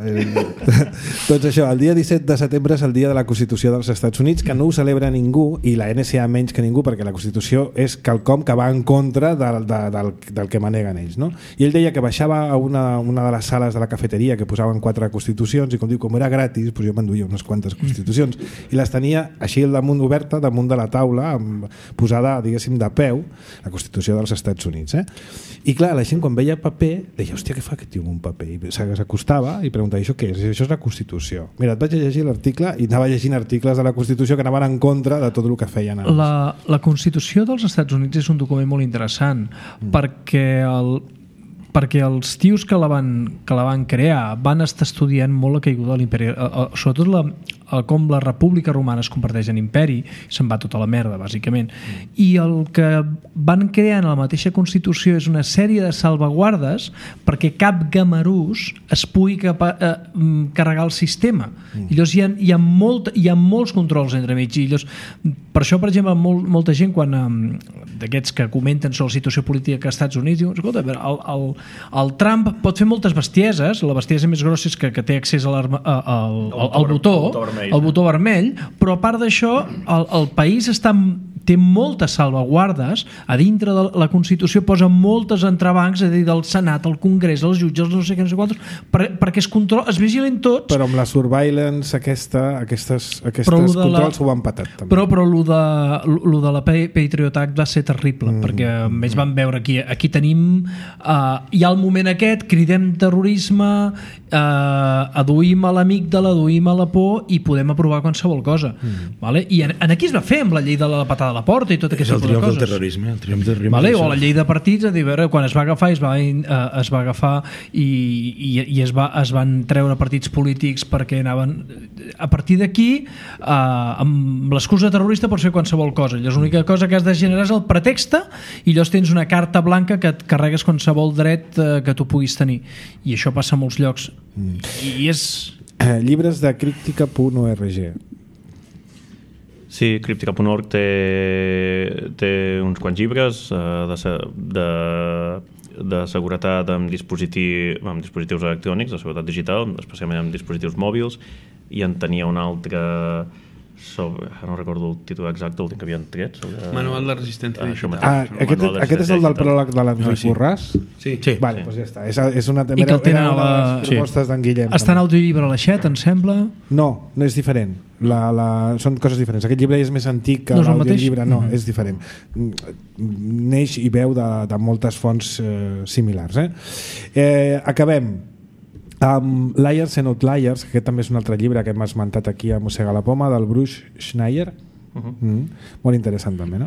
B: Doncs això, el dia 17 de setembre és el dia de la Constitució dels Estats Units, que no ho celebra ningú, i la NSA menys que ningú, perquè la Constitució és quelcom que va en contra del que maneguen ells, no? I ell deia que baixava a una de les sales de la cafeteria que posaven 4 constitucions, i com era gratis, doncs jo m'enduia unes quantes constitucions, i les tenia així al damunt, oberta, damunt de la taula, posada, diguéssim, de peu, la Constitució dels Estats Units. I clar, la gent quan veia paper deia, hòstia, què fa aquest tio amb un paper? I s'acostava i preguntava, això què és? Això és la Constitució. Mira, et vaig a llegir l'article, i anava llegint articles de la Constitució que anaven en contra de tot el que feien abans.
C: La Constitució dels Estats Units és un document molt interessant perquè els tios que la van crear van estar estudiant molt la caiguda de l'imperi, sobretot com la República Romana es converteix en imperi, se'n va tota la merda, bàsicament. I el que van crear en la mateixa Constitució és una sèrie de salvaguardes perquè cap gamarús es pugui carregar el sistema. I llavors hi ha molts controls entremig. I llavors, per això, per exemple, molta gent d'aquests que comenten sobre la situació política als Estats Units diuen, escolta, el Trump pot fer moltes bestieses, la bestiesa més grossa és que té accés al botó vermell, però a part d'això el país té moltes salvaguardes a dintre de la Constitució, posa moltes entrebancs, a dir, del Senat, el Congrés, els jutges, no sé què, no sé quantos, perquè es vigilen tots.
B: Però amb la surveillance aquests controls ho van patat també.
C: Però lo de la Patriot Act va ser terrible, perquè ells van veure aquí tenim hi ha el moment aquest, cridem terrorisme, aduïm a l'amígdala, aduïm a la por i podem aprovar qualsevol cosa. Vale? I aquí es va fer amb la llei de la patada a la porta i tot aquest tipus de coses.
E: El triomf del terrorisme.
C: Vale? O la llei de partits, a dir, quan es va agafar es va agafar i es van treure partits polítics perquè anaven a partir d'aquí amb l'excusa terrorista pots fer qualsevol cosa. Llavors l'única cosa que has de generar és el pretext i llavors tens una carta blanca que et carregues qualsevol dret que tu puguis tenir. I això passa a molts llocs. I és...
B: Llibres de críptica.org.
F: Sí, críptica.org té uns quants llibres de seguretat amb dispositius electrònics, de seguretat digital, especialment amb dispositius mòbils, i en tenia un altre no recordo el títol exacte, el que havien tret.
G: Manual de resistència digital.
B: Aquest és el del pròleg de l'Enric Borràs?
G: Sí.
B: Vale, doncs ja està. És una,
C: I que el tenen
B: era una
C: a
B: de les propostes d'en Guillem.
C: Està en audiollibre a l'Aixet, em sembla?
B: No és diferent. Són coses diferents. Aquest llibre és més antic que l'audiollibre. No, és diferent. Neix i veu de moltes fonts similars. Acabem amb Liars and Outliers, que aquest també és un altre llibre que hem esmentat aquí a Mossega la Poma, del Bruce Schneier. Molt interessant també, no?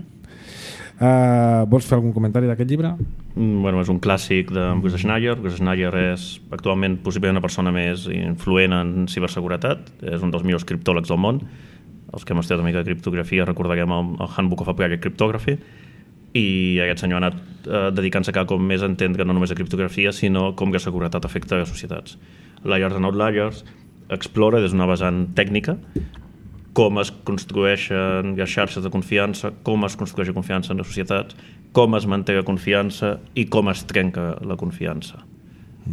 B: Vols fer algun comentari d'aquest llibre?
F: Bueno, és un clàssic de Bruce Schneier. Bruce Schneier és actualment possiblement una persona més influent en ciberseguretat. És un dels millors criptòlegs del món. Els que hem estudiat una mica de criptografia recordarem el Handbook of Applied Cryptography, i aquest senyor ha anat dedicant-se cada cop més a entendre no només a criptografia, sinó com la seguretat afecta a les societats. Liars and Outliers explora des d'una vessant tècnica com es construeixen les xarxes de confiança, com es construeix la confiança en les societats, com es manté la confiança i com es trenca la confiança.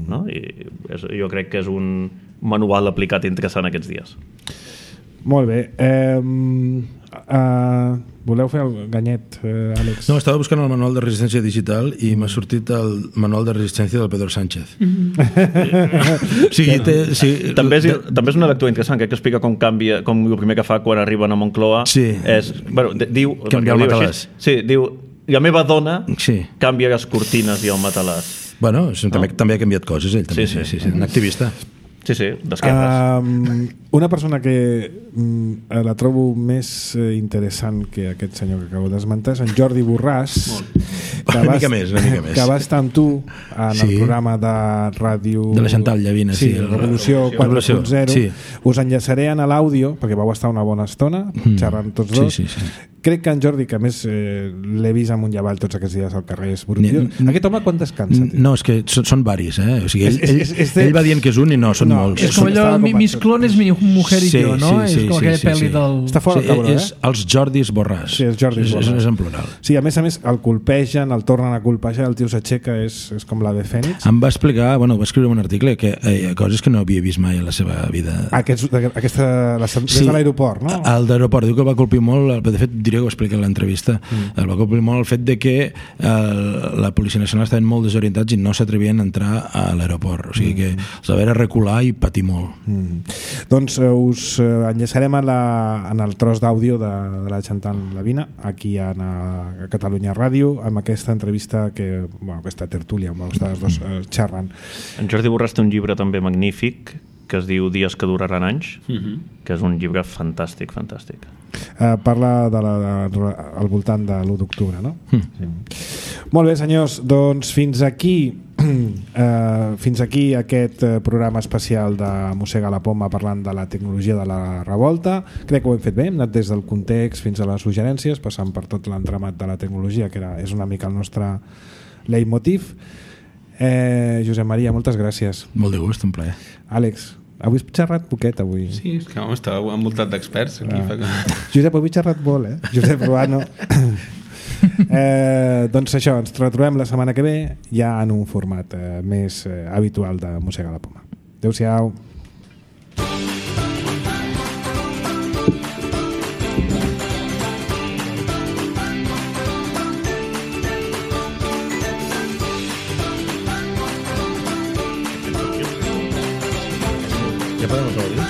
F: No? I jo crec que és un manual aplicat interessant aquests dies.
B: Molt bé. Voleu fer el ganyet, Àlex?
E: No, estava buscant el manual de resistència digital i m'ha sortit el manual de resistència del Pedro Sánchez.
F: També és una lectura interessant, que explica com canvia, com el primer que fa quan arriben a Moncloa és, diu,
E: canviar el matalàs.
F: Sí, diu, la meva dona canvia les cortines i el matalàs.
E: Bueno, també ha canviat coses, ell també. Sí, un activista.
F: Sí, d'esquerres.
B: Una persona que la trobo més interessant que aquest senyor que acabo d'esmentar és en Jordi Borràs,
E: una mica més.
B: Que va estar amb tu en el programa de ràdio
E: de la Chantal Llavina,
B: Revolució 4.0. Us enllaçaré en l'àudio perquè vau estar una bona estona xerrant tots dos. Crec que en Jordi, que a més l'he vist amunt i avall tots aquests dies al carrer, és brut. Aquest home quan descansa?
E: No, és que són varis, o sigui, ell va dient que és un i no, són molts.
C: És com allò, mis clones, mi mujer i jo, no? És com aquella pel·li del...
B: Està fora el cabró,
E: és els Jordis Borràs.
B: Sí, els Jordis Borràs.
E: És en plural.
B: Sí, a més el colpegen, el tornen a colpejar, el tio s'aixeca, és com l'Ave Fènix.
E: Em va explicar, va escriure un article que coses que no havia vist mai a la seva vida.
B: Des de l'aeroport, no?
E: Al d'aeroport, diu que el va colpir molt, de fet diré que ho explica en l'entrevista, el va colpir molt el fet de que la Policia Nacional estaven molt desorientats i no s'atrevien a entrar a l'aeroport, o sigui que els va haver de recular i patir molt.
B: Doncs us enllaçarem en el tros d'àudio de la Chantal Llavina aquí a Catalunya Ràdio amb aquesta entrevista aquesta tertúlia on vau estar els dos xerrant.
F: En Jordi Borràs té un llibre també magnífic que es diu Dies que duraran anys, que és un llibre fantàstic.
B: Parla al voltant de l'1 d'octubre, no? Molt bé, senyors, doncs fins aquí aquest programa especial de Mossega la Poma parlant de la tecnologia de la revolta. Crec que ho hem fet bé, hem anat des del context fins a les suggerències, passant per tot l'entramat de la tecnologia, que és una mica el nostre leitmotiv. Josep Maria, moltes gràcies.
E: Molt de gust, un plaer.
B: Àlex, avui has xerrat poquet avui.
G: Sí, és que estava envoltat d'experts aquí.
B: Josep, avui he xerrat molt, Josep Ruano. Doncs això, ens retrobem la setmana que ve ja en un format més habitual de Mossega la Poma. Adéu-siau.
E: Ja podem aplaudir?